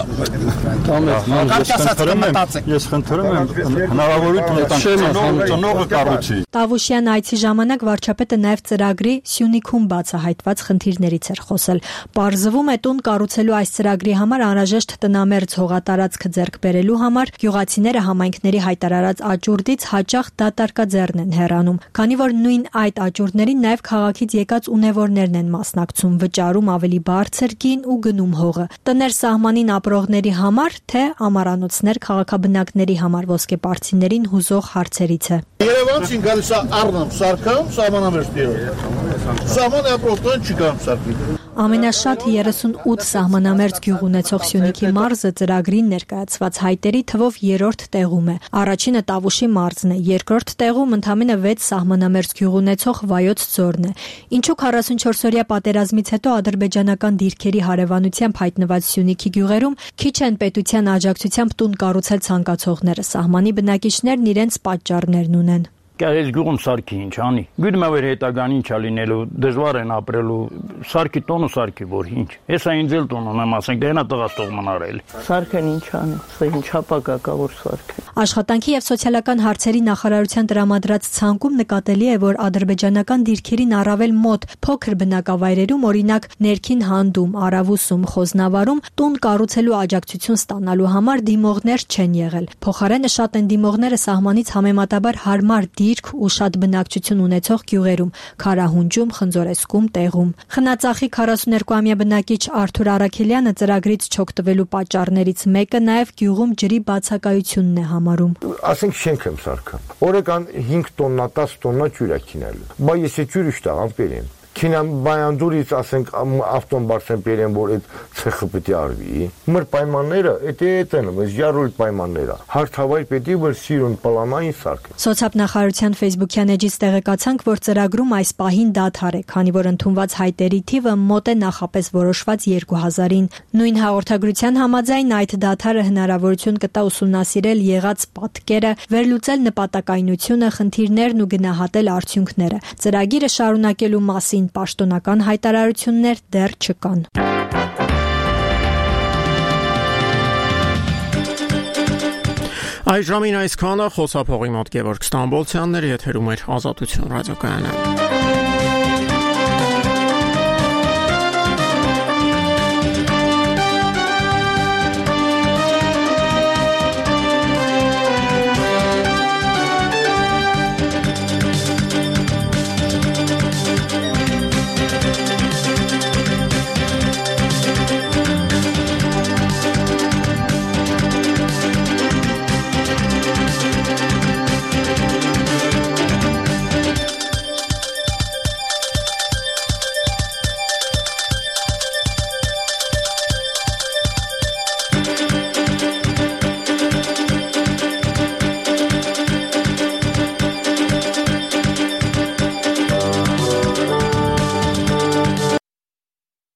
Ես խնդրում եմ, ես խնդրում եմ հնարավորություն ծնողը կառուցի։ Տավուշյան այցի ժամանակ վարչապետը նաև ծրագրի Սյունիքում բացահայտված խնդիրներից էր խոսել։ Պարզվում է տուն կառուցելու այս ծրագրի համար անհրաժեշտ տնամերձ հողատարածքը ձեռք բերելու համար գյուղացիները համայնքների հայտարարած աճուրդից հաճախ դատարկաձեռն են հեռանում, քանի որ նույն այդ աճուրդներին նաև քաղաքից եկած ունևորներն են մասնակցում, վճարում ավելի բարձր գին ու գնում հողը։ Տներ սահմանին ապրողների համար, թե ամառանոցներ քաղաքաբնակների համար ոսկեպարցիներին հուզող հարցերից է։ Երևանցին գալիս է առնամ սարքամ, սահմանամերձ դերով։ Սահմանը ապրողտան չի գամ սարքի։ Ամենաշատ երեսունութ սահմանամերձ գյուղ ունեցող Սյունիքի մարզը ծրագրին ներկայացված հայտերի թվով երրորդ տեղում է։ Առաջինը Տավուշի մարզն է, երկրորդ տեղում ընդամենը վեց սահմանամերձ գյուղ ունեցող Վայոց ձորն է։ Ինչու քառասունչորսօրյա պատերազմից հետո ադրբեջանական դիրքերի հարևանությամբ հայտնված Սյունիքի գյուղերում քիչ են պետության աջակցությամբ տուն կառուցել ցանկացողները, սահմանի բնակիչներն իրենց պատճառներն ունեն։ Կայես գյուղում սարքի ինչ անի։ Գիտեմ որ հետագան ինչ է լինելու, դժվար են ապրելու, սարքի տոնը սարքի որ ինչ։ Հեսա ինձ էլ տոն ունեմ, ասենք դա նա տղաս տող մնարել։ Սարքեն ինչ անի, սա ինչ ապագա կա որ սարքը։ Աշխատանքի եւ սոցիալական հարցերի նախարարության տրամադրած ցանկում նկատելի է, որ ադրբեջանական դիրքերին առավել մոտ փոքր բնակավայրերում, օրինակ ներքին հանդում, Արավուսում, Խոզնավարում տուն կառուցելու աջակցություն ստանալու համար դիմողներ չեն եղել։ Փոխարենը շատ են դիմողները սահմանից համեմատաբար հարմար դիրք ու շատ բնակչություն ունեցող գյուղերում՝ Քարահունջում, Խնձորեսկում, Տեղում։ Խնածախի քառասուներկուամյա բնակիչ Արթուր Արաքելյանը ծրագրից չօգտվելու պատճառներից մեկը նաև գյուղում ջրի բացակայությունն է համարում։ Ասենք շենք եմ սարքam։ Օրական հինգ տոննա, դաս տոննա ջուր է քինելու։ Բա ես է ջուրը շտա ամպերեմ։ Քինամ բայանդուրից ասենք ավտոն բարձեն բերեն, որ այդ ցեխը պետք է արվի։ Մեր պայմանները էդ է այդն, այս յարուլ պայմանները։ Հարթավայր պետք է որ սիրուն պլանային սարք։ Սոցիալնախարարության Facebook-յան էջից տեղեկացանք, որ ծրագրում այս պահին դադար է, քանի որ ընդունված հայտերի թիվը մոտ է նախապես որոշված երկու հազարին։ Նույն հաղորդագրության համաձայն այդ դադարը հնարավորություն կտա ուսումնասիրել եղած պատկերը, վերլուծել նպատակայնությունը, խնդիրներն ու գնահատել արդյունքները։ Ծրագիրը շարունակելու մասին պաշտոնական հայտարարություններ դեռ չկան։ Այժմին այսքանը խոսափողի մոտ Գևորգ Ստամբոլցյանն էր, եթերում էր Ազատություն ռադիոկայանը։